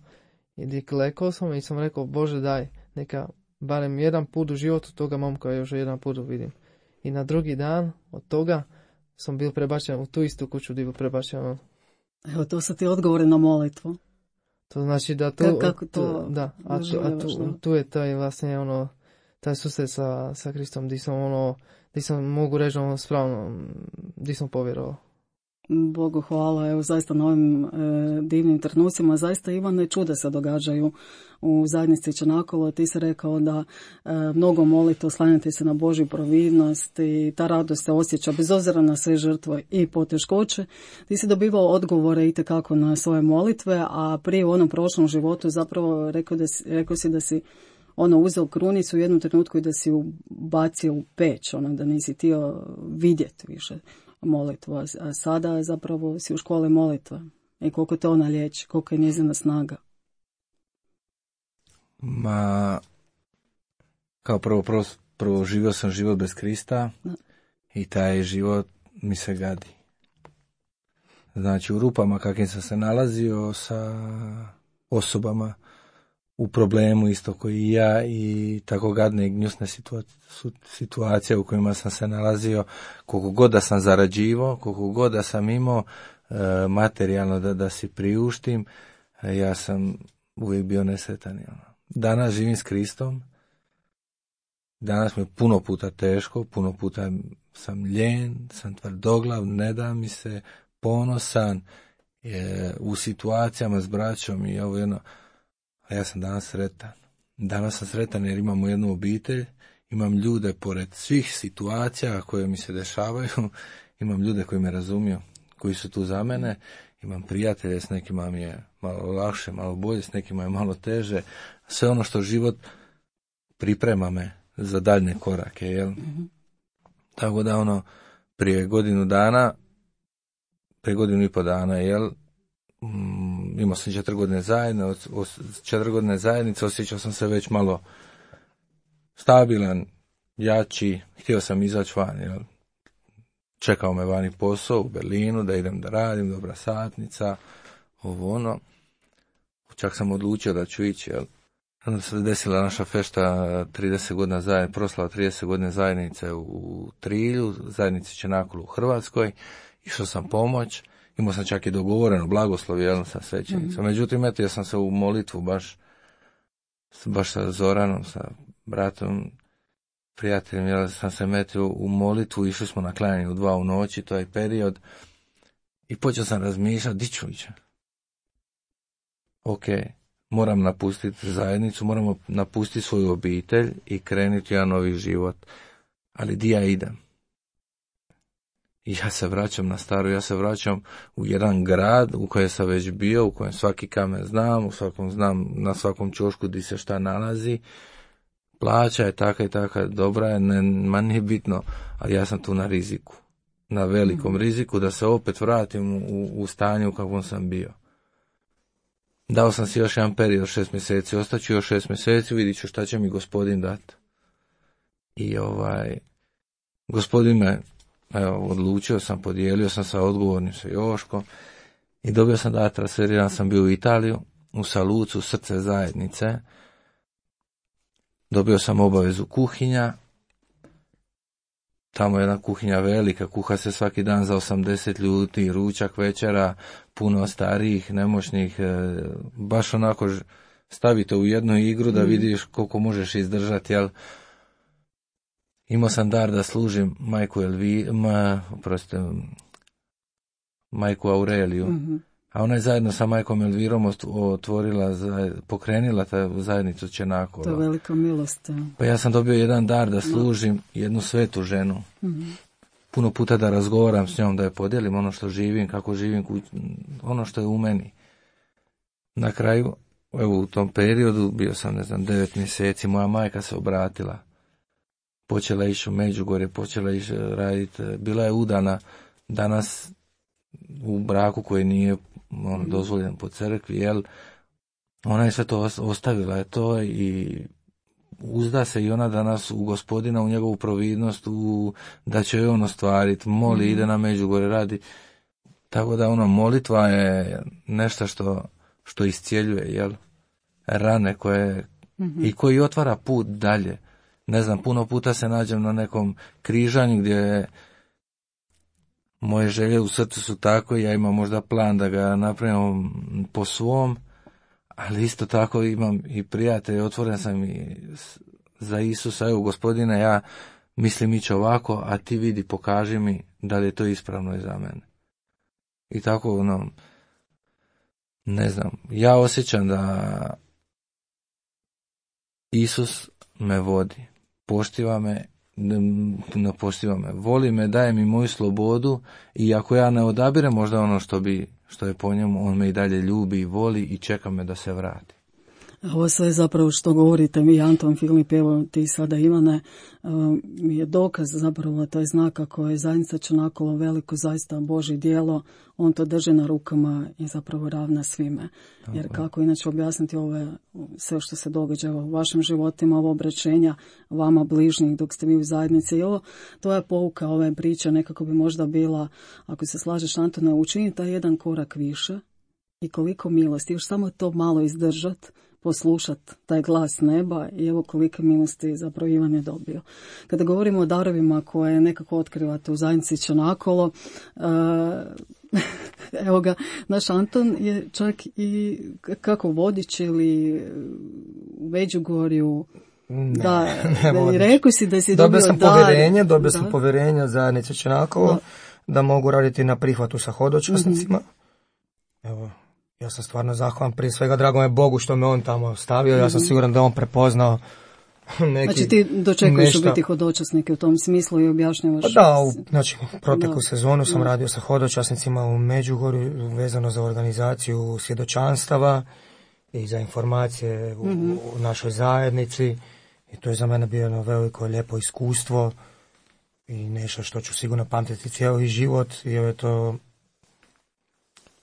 i klekao sam i sam rekao, Bože daj, neka barem jedan put u životu toga momka još jedan put vidim. I na drugi dan od toga sam bio prebačen u tu istu kuću gdje bio prebačen. Evo, to su ti odgovori na molitvu. To znači da tu je taj vlastne taj susret sa Kristom gdje sam mogu reći spravno, gdje sam povjerovao. Bogu hvala, evo zaista na ovim divnim trenucima, zaista Ivane čuda se događaju u zajednici Čanakolo. Ti si rekao da mnogo molite, oslanjate se na Božju providnost i ta radost se osjeća bez obzira na sve žrtve i poteškoće. Ti si dobivao odgovore itekako na svoje molitve, a prije u onom prošlom životu zapravo rekao si da si uzeo krunicu u jednom trenutku i da si ju bacio u peć, da nisi htio vidjeti više molitvu, a sada zapravo si u školi molitva. I koliko te ona liječi, koliko je njezina snaga? Kao prvo živio sam život bez Krista i taj život mi se gadi. Znači u rupama kakvim sam se nalazio sa osobama u problemu isto koji i ja i tako gadne i gnjusne situacije u kojima sam se nalazio, koliko god da sam zarađivao, koliko god da sam imao materijalno da si priuštim, ja sam uvijek bio nesretan. Danas živim s Kristom, danas mi je puno puta teško, puno puta sam ljen, sam tvrdoglav, ne da mi se, ponosan u situacijama s braćom i ovo jedno. A ja sam danas sretan. Danas sam sretan jer imamo jednu obitelj, imam ljude pored svih situacija koje mi se dešavaju, imam ljude koji me razumiju, koji su tu za mene, imam prijatelje, s nekima mi je malo lakše, malo bolje, s nekima je malo teže. Sve ono što život priprema me za daljnje korake, jel? Tako da prije godinu i pol dana, jel, imao sam 4 godine zajedno, od 4 godine zajednice osjećao sam se već malo stabilan, jači, htio sam izaći van, jel? Čekao me vani posao u Berlinu, da idem da radim, dobra satnica, čak sam odlučio da ću ići, jel? Onda se desila naša fešta 30 godina zajednice, proslava 30 godine zajednice u Trilju, zajednici Čanakolu u Hrvatskoj, išao sam pomoć. Imao sam čak i dogovoreno blagoslovi, jel, sa svećenicom. Međutim, ja sam se u molitvu baš sa Zoranom, sa bratom, prijateljem, jel, sam se metio u molitvu, išli smo na klanjanje u 2 u noći, to je period, i počeo sam razmišljati, di ću ići? Ok, moram napustiti zajednicu, moramo napustiti svoju obitelj i krenuti jedan novi život. Ali di ja idem? I ja se vraćam na staro, ja se vraćam u jedan grad u kojem sam već bio, u kojem svaki kamen znam, na svakom ćošku gdje se šta nalazi, plaća je taka i taka, dobra je, ma nije bitno, ali ja sam tu na riziku, na velikom riziku da se opet vratim u stanju u kakvom sam bio. Dao sam si još jedan period 6 mjeseci, ostaću još 6 mjeseci, vidit ću šta će mi gospodin dati. I gospodin me, odlučio sam, podijelio sam sa odgovornim, sa Joškom, i dobio sam da transferiran sam bio u Italiju, u Salucu, srce zajednice. Dobio sam obavezu kuhinja. Tamo je jedna kuhinja velika, kuha se svaki dan za 80 ljudi, ručak, večera, puno starijih, nemoćnih, baš onako stavite u jednu igru da vidiš koliko možeš izdržati, jel? Imao sam dar da služim majku Aureliju, a ona je zajedno sa majkom Elvirom pokrenila ta zajednicu Čenakova. To je velika milost. Pa ja sam dobio jedan dar da služim jednu svetu ženu. Puno puta da razgovaram s njom, da je podijelim ono što živim, kako živim, ono što je u meni. Na kraju, evo u tom periodu, bio sam 9 mjeseci, moja majka se obratila. Počela ići u Međugorje, počela ići raditi, bila je udana danas u braku koji nije dozvoljen po crkvi, jel? Ona je sve to ostavila je to i uzda se i ona danas u Gospodina, u njegovu providnost, da će joj on ostvariti, moli, ide na Međugorje, radi. Tako da molitva je nešto što iscijeljuje, jel? Rane koje i koji otvara put dalje. Ne znam, puno puta se nađem na nekom križanju gdje moje želje u srcu su tako i ja imam možda plan da ga napravim po svom, ali isto tako imam i prijatelje, otvoren sam i za Isusa, evo Gospodine, ja mislim ići ovako, a ti vidi, pokaži mi da li je to ispravno i za mene. I tako, ne znam, ja osjećam da Isus me vodi, poštiva me, voli me, daje mi moju slobodu i ako ja ne odabirem možda ono što je po njemu, on me i dalje ljubi i voli i čeka me da se vrati. Ovo sve zapravo što govorite mi, Anton, Filip, evo ti sada Ivane, je dokaz zapravo, to je znak kako je zajednica Čenakolo veliko, zaista Božje djelo, on to drži na rukama i zapravo ravna svime. Jer kako inače objasniti sve što se događa u vašim životima, ovo obraćenja vama bližnjih dok ste vi u zajednici. I to je pouka ove priče, nekako bi možda bila, ako se slažeš Antone, učiniti taj jedan korak više i koliko milosti, još samo to malo izdržati, poslušati taj glas neba i evo kolike milosti zapravo Ivan je dobio. Kada govorimo o darovima koje nekako otkrivate u zajednici Čenakolo, evo ga, naš Anton je čak i kako vodič ili u Međugorju. I rekao si da si dobio Dobio sam povjerenje od zajednice Čenakolo da mogu raditi na prihvatu sa hodočasnicima. Evo, ja sam stvarno zahvalan, prije svega drago je Bogu što me on tamo stavio, ja sam siguran da on prepoznao neki Znači ti dočekuješ biti hodočasnike u tom smislu i objašnjavaš? Proteklu sezonu sam radio sa hodočasnicima u Međugorju vezano za organizaciju svjedočanstava i za informacije u našoj zajednici i to je za mene bio jedno veliko lijepo iskustvo i nešto što ću sigurno pamtiti cijeli život jer je to,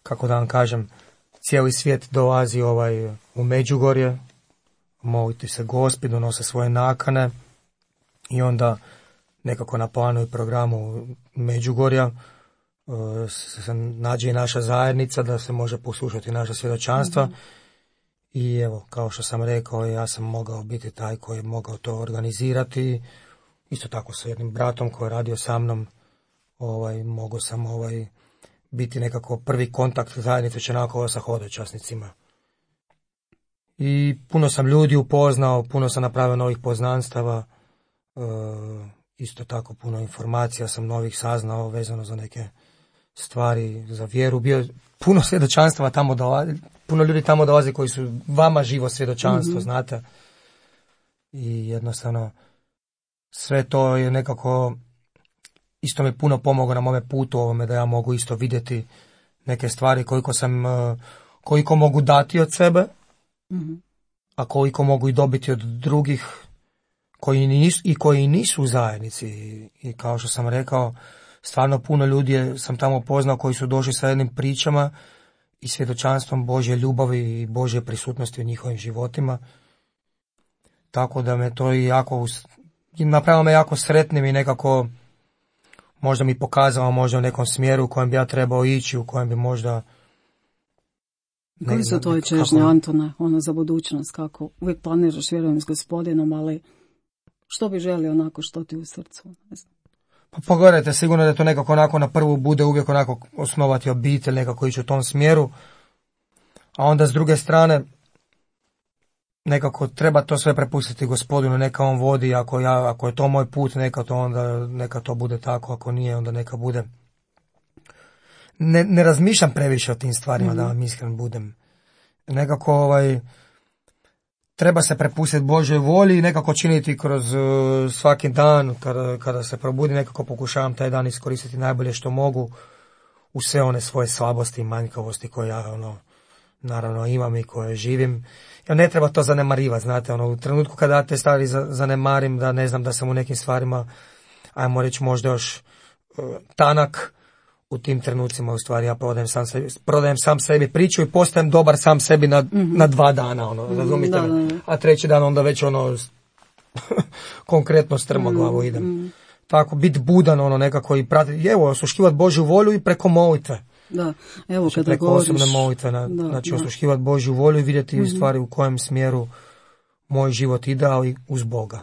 kako da vam kažem, cijeli svijet dolazi u Međugorje, moliti se Gospi, donose svoje nakane i onda nekako na planu i programu Međugorja se nađe i naša zajednica da se može poslušati naša svjedočanstva i evo, kao što sam rekao, ja sam mogao biti taj koji je mogao to organizirati, isto tako sa jednim bratom koji je radio sa mnom, mogao sam biti nekako prvi kontakt zajednice Čenakolo sa hodočasnicima. I puno sam ljudi upoznao, puno sam napravio novih poznanstava, isto tako puno informacija sam novih saznao vezano za neke stvari, za vjeru. Bio puno svjedočanstava tamo dolazi, puno ljudi tamo dolazi koji su vama živo svjedočanstvo, znate. I jednostavno sve to je nekako isto mi puno pomoglo na mome putu ovome da ja mogu isto vidjeti neke stvari koliko mogu dati od sebe, a koliko mogu i dobiti od drugih koji nisu u zajednici. I kao što sam rekao, stvarno puno ljudi sam tamo poznao koji su došli sa jednim pričama i svjedočanstvom Božje ljubavi i Božje prisutnosti u njihovim životima. Tako da me to napravilo me jako sretnim i nekako možda mi pokazalo možda u nekom smjeru u kojem bi ja trebao ići, u kojem bi možda... Koji su tvoje čežnje, Antone, za budućnost? Kako? Uvijek planiraš, vjerujem, s Gospodinom, ali što bi želio onako, što ti u srcu? Ne znam. Pa pogledajte, sigurno da to nekako onako na prvu bude uvijek onako osnovati obitelj, nekako ići u tom smjeru, a onda s druge strane nekako treba to sve prepustiti Gospodinu, neka on vodi, ako je to moj put, neka to bude tako, ako nije, onda neka bude. Ne razmišljam previše o tim stvarima, da vam iskren budem. Nekako treba se prepustiti Božoj volji i nekako činiti kroz svaki dan, kada se probudim, nekako pokušavam taj dan iskoristiti najbolje što mogu u sve one svoje slabosti i manjkavosti koje ja naravno imam i koje živim. Ja ne treba to zanemarivati, znate, u trenutku kada ja te stvari zanemarim, da ne znam da sam u nekim stvarima, ajmo reći možda još tanak, u tim trenucima u stvari ja prodajem sam sebi priču i postajem dobar sam sebi na 2 dana, razumite me? A treći dan onda već konkretno strmoglavu idem. Tako, biti budan, nekako i pratiti, osluškivati Božju volju i preko molitve. Da, evo kada preko govoriš... osobne molitve, osluškivati Božju volju i vidjeti u stvari u kojem smjeru moj život ide, ali uz Boga.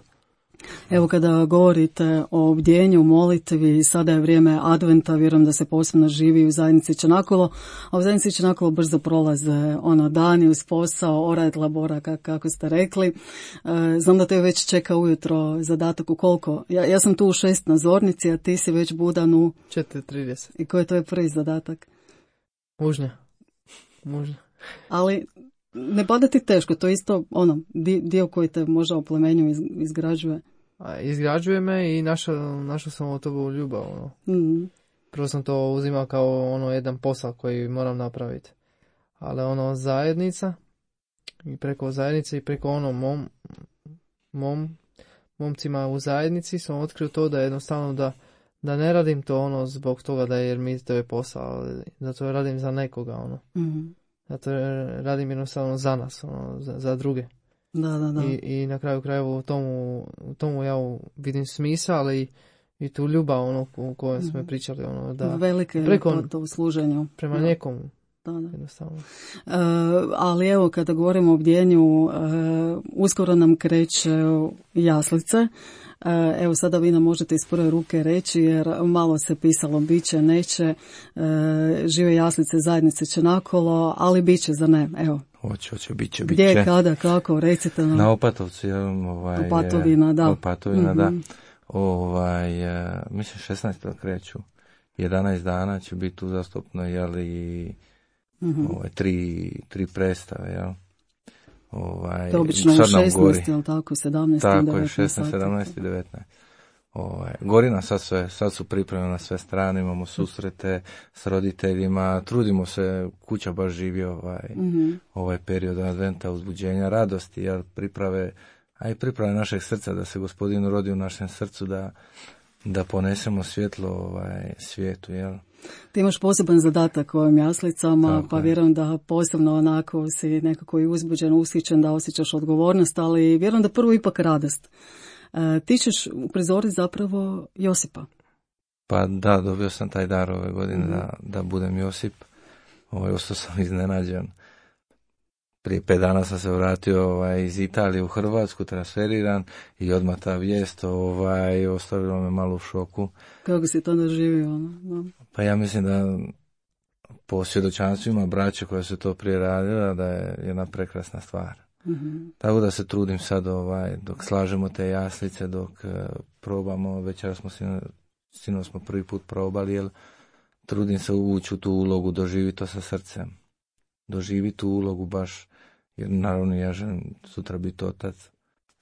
Evo kada govorite o bdjenju, molitvi, sada je vrijeme adventa, vjerujem da se posebno živi u zajednici Čanakolo, a u zajednici Čanakolo brzo prolaze dani uz posao, ora et labora, kako ste rekli. Znam da te već čeka ujutro zadatak u koliko? Ja sam tu u 6 na zornici, a ti si već budan u 4:30. I koji je tvoj prvi zadatak? Mužnja. Ali ne pada ti teško, to je isto dio koji te možda u plemenju izgrađuje. Izgrađuje me i našao sam od toga ljubav. Prvo sam to uzimao kao jedan posao koji moram napraviti. Ali zajednica i preko zajednice i preko momcima u zajednici sam otkrio to da jednostavno da ne radim to zbog toga jer mi to je posao, da to radim za nekoga. Zato radim jednostavno za nas, za druge. Da. I na kraju krajeva u tomu ja vidim smisao, ali i tu ljubav u kojoj smo pričali. Velike to u služenju. Prema nekomu. Da. Jednostavno. Ali evo, kada govorimo o bdjenju, uskoro nam kreće jaslice. Evo sada vi nam možete iz prve ruke reći, jer malo se pisalo biće, neće, žive jaslice zajednice Čanakolo, ali biće, za ne, evo. Hoće, biće. Gdje, kada, kako, recite nam. Na Opatovci, Opatovina, da. Opatovina, da. Mislim 16. kreću. 11 dana će biti uzastopno, tri predstave, jel? To obično u 16, jel tako, 17, tako 19 je, 16, 17 i 19. Gori nam sad su pripremljene na sve strane, imamo susrete s roditeljima, trudimo se, kuća baš živi ovaj period adventa, uzbuđenja, radosti, jel, priprave našeg srca, da se Gospodin rodi u našem srcu, da ponesemo svjetlo svijetu, jel? Ti imaš poseban zadatak u ovim jaslicama, tako pa vjerujem da posebno onako si nekako i uzbuđen, ushićen, da osjećaš odgovornost, ali vjerujem da prvo ipak radost. Ti ćeš uprizoriti zapravo Josipa. Pa da, dobio sam taj dar ove godine da budem Josip. Ostao sam iznenađen. Prije 5 dana sam se vratio iz Italije u Hrvatsku, transferiran, i odmah ta vijest ostavila me malo u šoku. Kako si to doživio? Pa ja mislim da po svjedočanstvima braće koja su to prije radila, da je jedna prekrasna stvar. Tako da se trudim sad dok slažemo te jaslice, dok probamo, večera sinoć smo prvi put probali, jer trudim se ući u tu ulogu, doživiti to sa srcem. Doživiti tu ulogu baš, jer naravno ja želim sutra biti otac.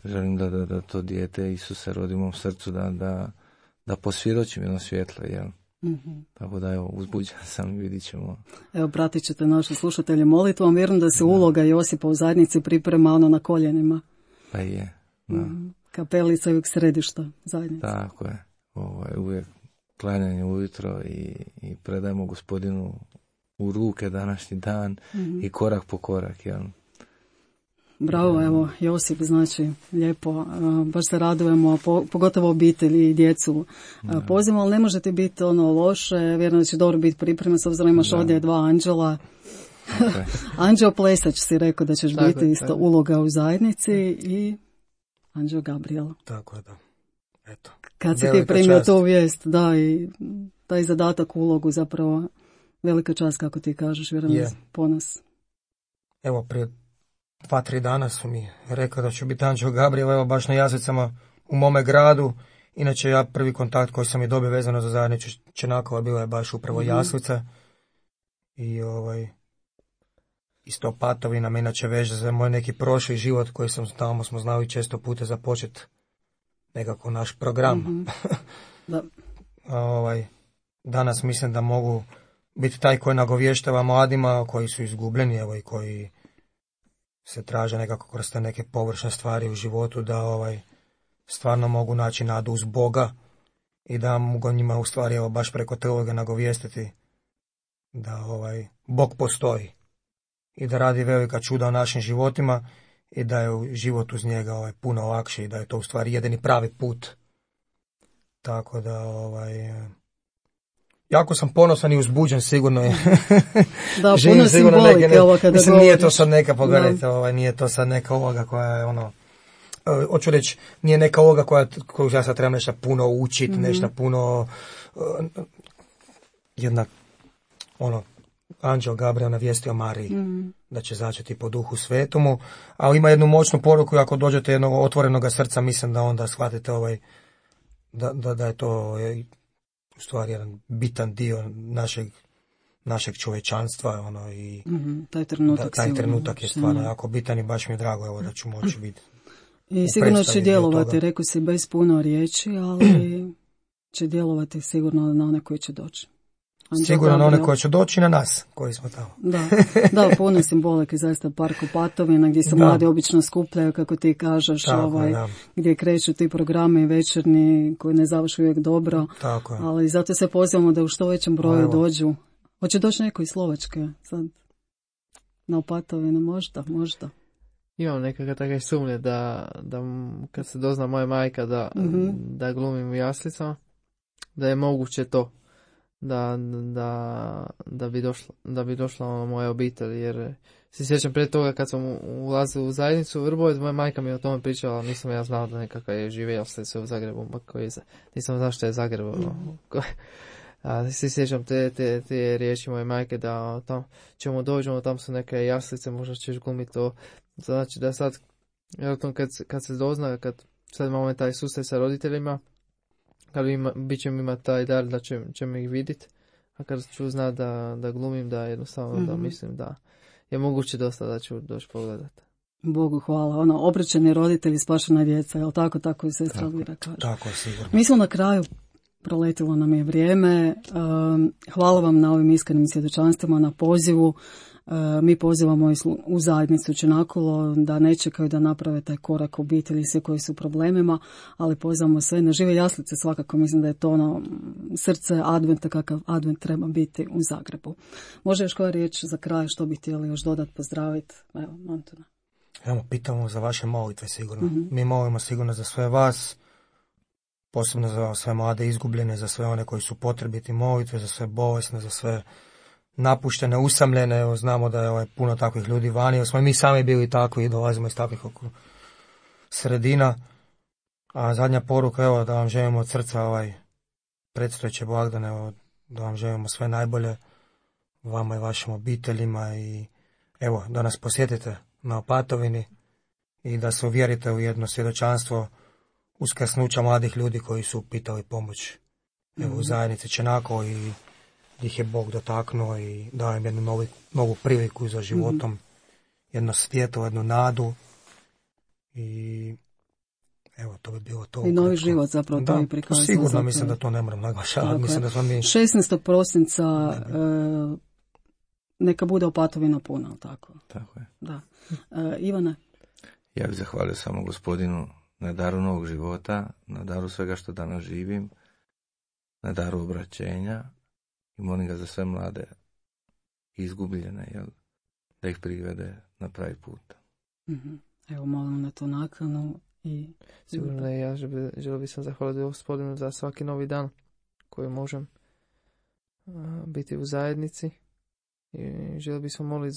Želim da to dijete Isuse rodi u mom srcu, da posvjedočim jedno svjetlo, jel? Tako da evo, uzbuđen sam, vidit ćemo. Evo, pratit ćete naše slušatelje molitvom, vjerujem da se uloga Josipa u zajednici priprema na koljenima. Pa je, da. Kapelica je uvijek središta zajednice. Tako je. Uvijek klanjanje ujutro i predajemo Gospodinu u ruke današnji dan i korak po korak. Jel? Bravo, evo, Josip, znači, lijepo, baš se radujemo, pogotovo obitelji i djecu pozivamo, ali ne možete biti loše, vjerujem da će dobro biti priprema, s obzirom imaš ovdje 2 anđela. Okay. Anđeo Plesač si rekao da ćeš biti isto uloga u zajednici i Anđeo Gabriel. Tako je, da. Eto. Kad si ti primio tu vijest, da, i taj zadatak, ulogu, zapravo velika čast, kako ti kažeš, vjerujem, ponos. Evo, prije 2-3 dana su mi rekao da ću biti Anđeo Gabriel, evo baš na Jaslicama u mome gradu. Inače, ja prvi kontakt koji sam je dobio vezano za zajednicu Čenakova bila je baš upravo Jaslica. I isto Patovina me inače veže za moj neki prošli život koji sam tamo smo znali često puta započeti nekako naš program. Da. Danas mislim da mogu biti taj koji nagovještava mladima koji su izgubljeni, evo, i koji se traže nekako kroz te neke površne stvari u životu, da stvarno mogu naći nadu uz Boga i da mogu njima u stvari, evo, baš preko teologa nagovijestiti da Bog postoji i da radi velika čuda u našim životima i da je život uz njega puno lakši i da je to u stvari jedini pravi put. Tako da jako sam ponosan i uzbuđen, sigurno je. Da, puno simbolike ovo kada mislim, govoriš. nije to sad neka, pogledajte, nije to sad neka uloga koja je hoću reći, nije neka uloga koju ja sad trebam nešto puno učiti, nešto puno jedna Anđeo Gabriel navijestio Mariji da će začeti po Duhu Svetomu, ali ima jednu moćnu poruku, ako dođete jednog otvorenog srca, mislim da onda shvatite da je to u stvari jedan bitan dio našeg čovječanstva, i taj trenutak je stvarno jako bitan i baš mi je drago, evo, da ću moći biti. I sigurno će djelovati, rekao si, bez puno riječi, ali će djelovati sigurno na one koji će doći. Sigurno na one koji će doći i na nas koji smo tamo. Da, puno simbolike, zaista park u Patovina gdje se mladi obično skupljaju, kako ti kažeš, gdje kreću ti programi večernji koji ne završu uvijek dobro, ali zato se pozivamo da u što većem broju dođu. Hoće doći neko iz Slovačke sad na Opatovinu, možda. Imam nekakve takve sumnje da kad se dozna moja majka da glumim u Jaslicama, da je moguće to. Da bi došla moja obitelj, jer se sjećam prije toga kad sam ulazio u zajednicu u Vrbovec, moja majka mi je o tome pričala, nisam ja znao da nekakav je živio se u Zagrebu, nisam znao što je Zagreb. Se sjećam te riječi moje majke da tam ćemo dođemo, tam su neke jaslice, možda ćeš glumiti to. Znači da sad, kad se dozna, kad sad imamo taj susret sa roditeljima, kad bit ćemo imati taj dar da ćemo ih vidjeti, a kad ću znati da glumim, da jednostavno da mislim da je moguće dosta da ću doći pogledati. Bogu hvala. Obraćeni roditelji, spašena djeca, jel tako? Tako i sestra Vira kaže. Tako je, sigurno. Mi smo na kraju, proletilo nam je vrijeme. Hvala vam na ovim iskrenim svjedočanstvima, na pozivu. Mi pozivamo u zajednicu Čenakolo da ne čekaju da naprave taj korak obitelji, sve koji su problemima, ali pozivamo sve na žive jaslice, svakako mislim da je to srce adventa, kakav advent treba biti u Zagrebu. Može još koja riječ za kraj, što bi htjeli još dodati, pozdraviti? Evo, Antona. Evo, pitamo za vaše molitve sigurno. Mi molimo sigurno za sve vas, posebno za sve mlade izgubljene, za sve one koji su potrebiti molitve, za sve bolesne, za sve napuštene, usamljene. Evo, znamo da je puno takvih ljudi vani. Evo, smo mi sami bili takvi i dolazimo iz takvih sredina. A zadnja poruka, evo, da vam želimo od srca predstojeće blagdane, evo, da vam želimo sve najbolje vama i vašim obiteljima i evo, da nas posjetite na Opatovini i da se uvjerite u jedno svjedočanstvo uskrsnuća mladih ljudi koji su pitali pomoć evo, u zajednici Čenako i ih je Bog dotaknuo i dao im jednu novu priliku za životom, jedno svjetlo, jednu nadu i evo, to bi bilo to. I novi život zapravo to je prikazano. Sigurno zapravo. Mislim da to ne moram naglašavati. Mislim da smo mi... 16. prosinca neka bude Opatovina puna, tako? Tako je. Da. Ivane? Ja bih zahvalio samo gospodinu na daru novog života, na daru svega što danas živim, na daru obraćenja i molim ga za sve mlade izgubljene, jel, da ih privede na pravi put. Evo, molim na tu nakanu i... Sigurno i ja želio bi sam zahvaliti Gospodinu za svaki novi dan koji možem biti u zajednici i želio bi sam moliti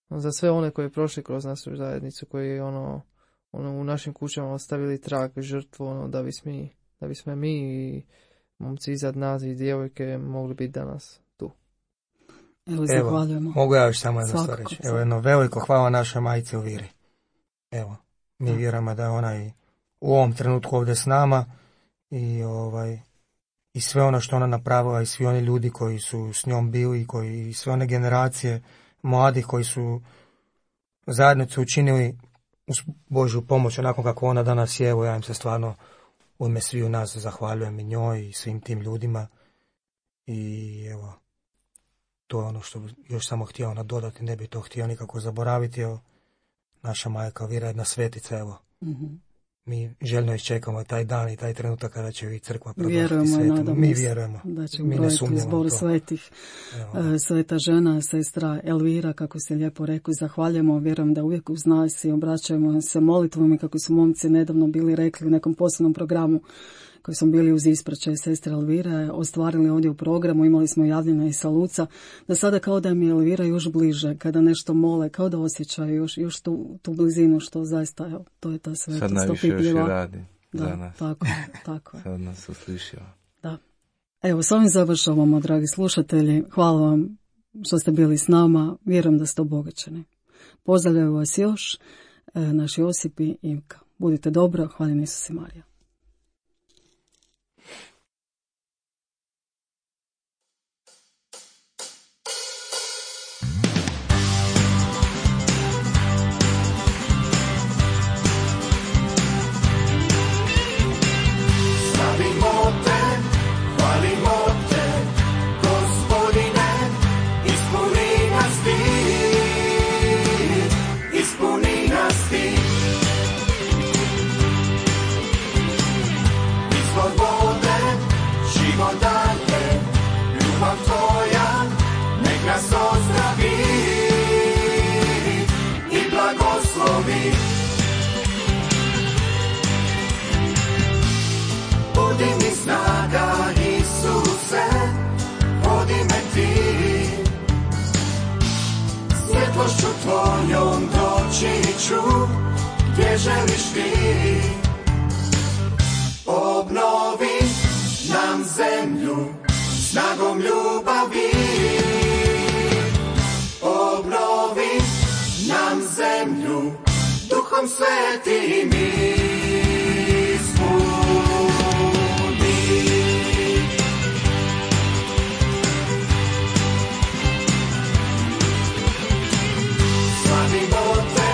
za sve one koji je prošli kroz našu zajednicu, koji u našim kućama ostavili trag, žrtvu, da bismo mi i momci iznad nas i djevojke mogli biti danas tu. Evo, zahvaljujemo. Mogu ja još samo jedno stvar reći. Evo, jedno veliko hvala našoj majci u viri. Evo, mi vjerujemo da je ona i u ovom trenutku ovdje s nama i sve ono što ona napravila i svi oni ljudi koji su s njom bili i sve one generacije mladih koji su zajednicu učinili uz Božju pomoć onako kako ona danas je. Evo, ja im se stvarno u ime sviju nas zahvaljujem i njoj i svim tim ljudima i evo, to je ono što još samo htio nadodati, ne bi to htio nikako zaboraviti. Evo, naša majka Vira, jedna svetica, evo. Mi željno iščekamo taj dan i taj trenutak kada će i crkva proglasiti svetom. Mi vjerujemo. Da će brojiti zbor svetih. Sveta žena, sestra Elvira, kako se lijepo rekao, zahvaljujemo, vjerujem da uvijek uz nas i obraćajemo se molitvom i kako su momci nedavno bili rekli u nekom posebnom programu koji smo bili uz ispraćaj sestre Elvire, ostvarili ovdje u programu, imali smo javljena i sa Luca, da sada kao da mi je Elvira još bliže, kada nešto mole, kao da osjećaju još tu blizinu, što zaista, evo, to je ta svetost. Sad najviše još i radi za nas. Tako je. Sad nas uslišio. Da. Evo, s ovim završavamo, dragi slušatelji. Hvala vam što ste bili s nama. Vjerujem da ste obogaćeni. Pozdravljaju vas još naš Josip i Ivka. Budite dobro, hvala Isus i Marija. Budi mi snaga, Isuse, vodi me ti, svjetlošću tvojom doći ću, gdje želiš ti. Obnovi nam zemlju snagom ljubavi, obnovi nam zemlju Duhom Svetim ispuni. Slavimo te,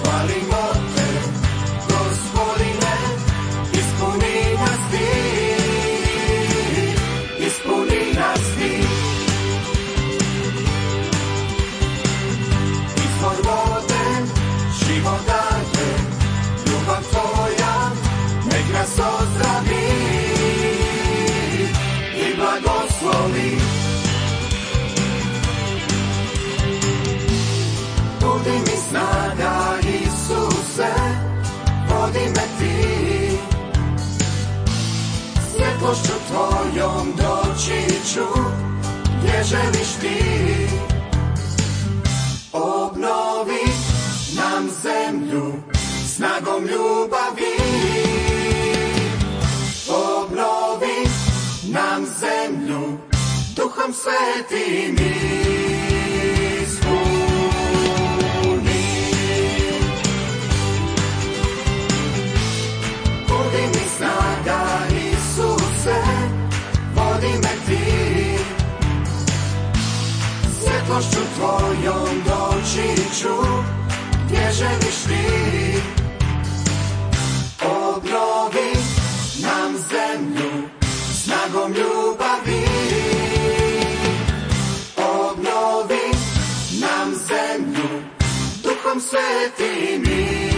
hvalimo te, Gospodine, ispuni nas ti, ispuni nas ti. Izvor vode, život daje, ljubav tvoja, nek nas ozdravi i blagoslovi. Budi mi snaga, Isuse, vodi me ti, svjetlošću tvojom doći ću, gdje želiš ti. Obnovi nam zemlju snagom ljubavi, obnovi nam zemlju Duhom Svetim ispuni. Budi mi snaga, Isuse, vodi me ti, svjetlošću tvojom doći ću, gdje želiš ti. Obnovi nam zemlju snagom ljubavi, obnovi nam zemlju Duhom Svetim.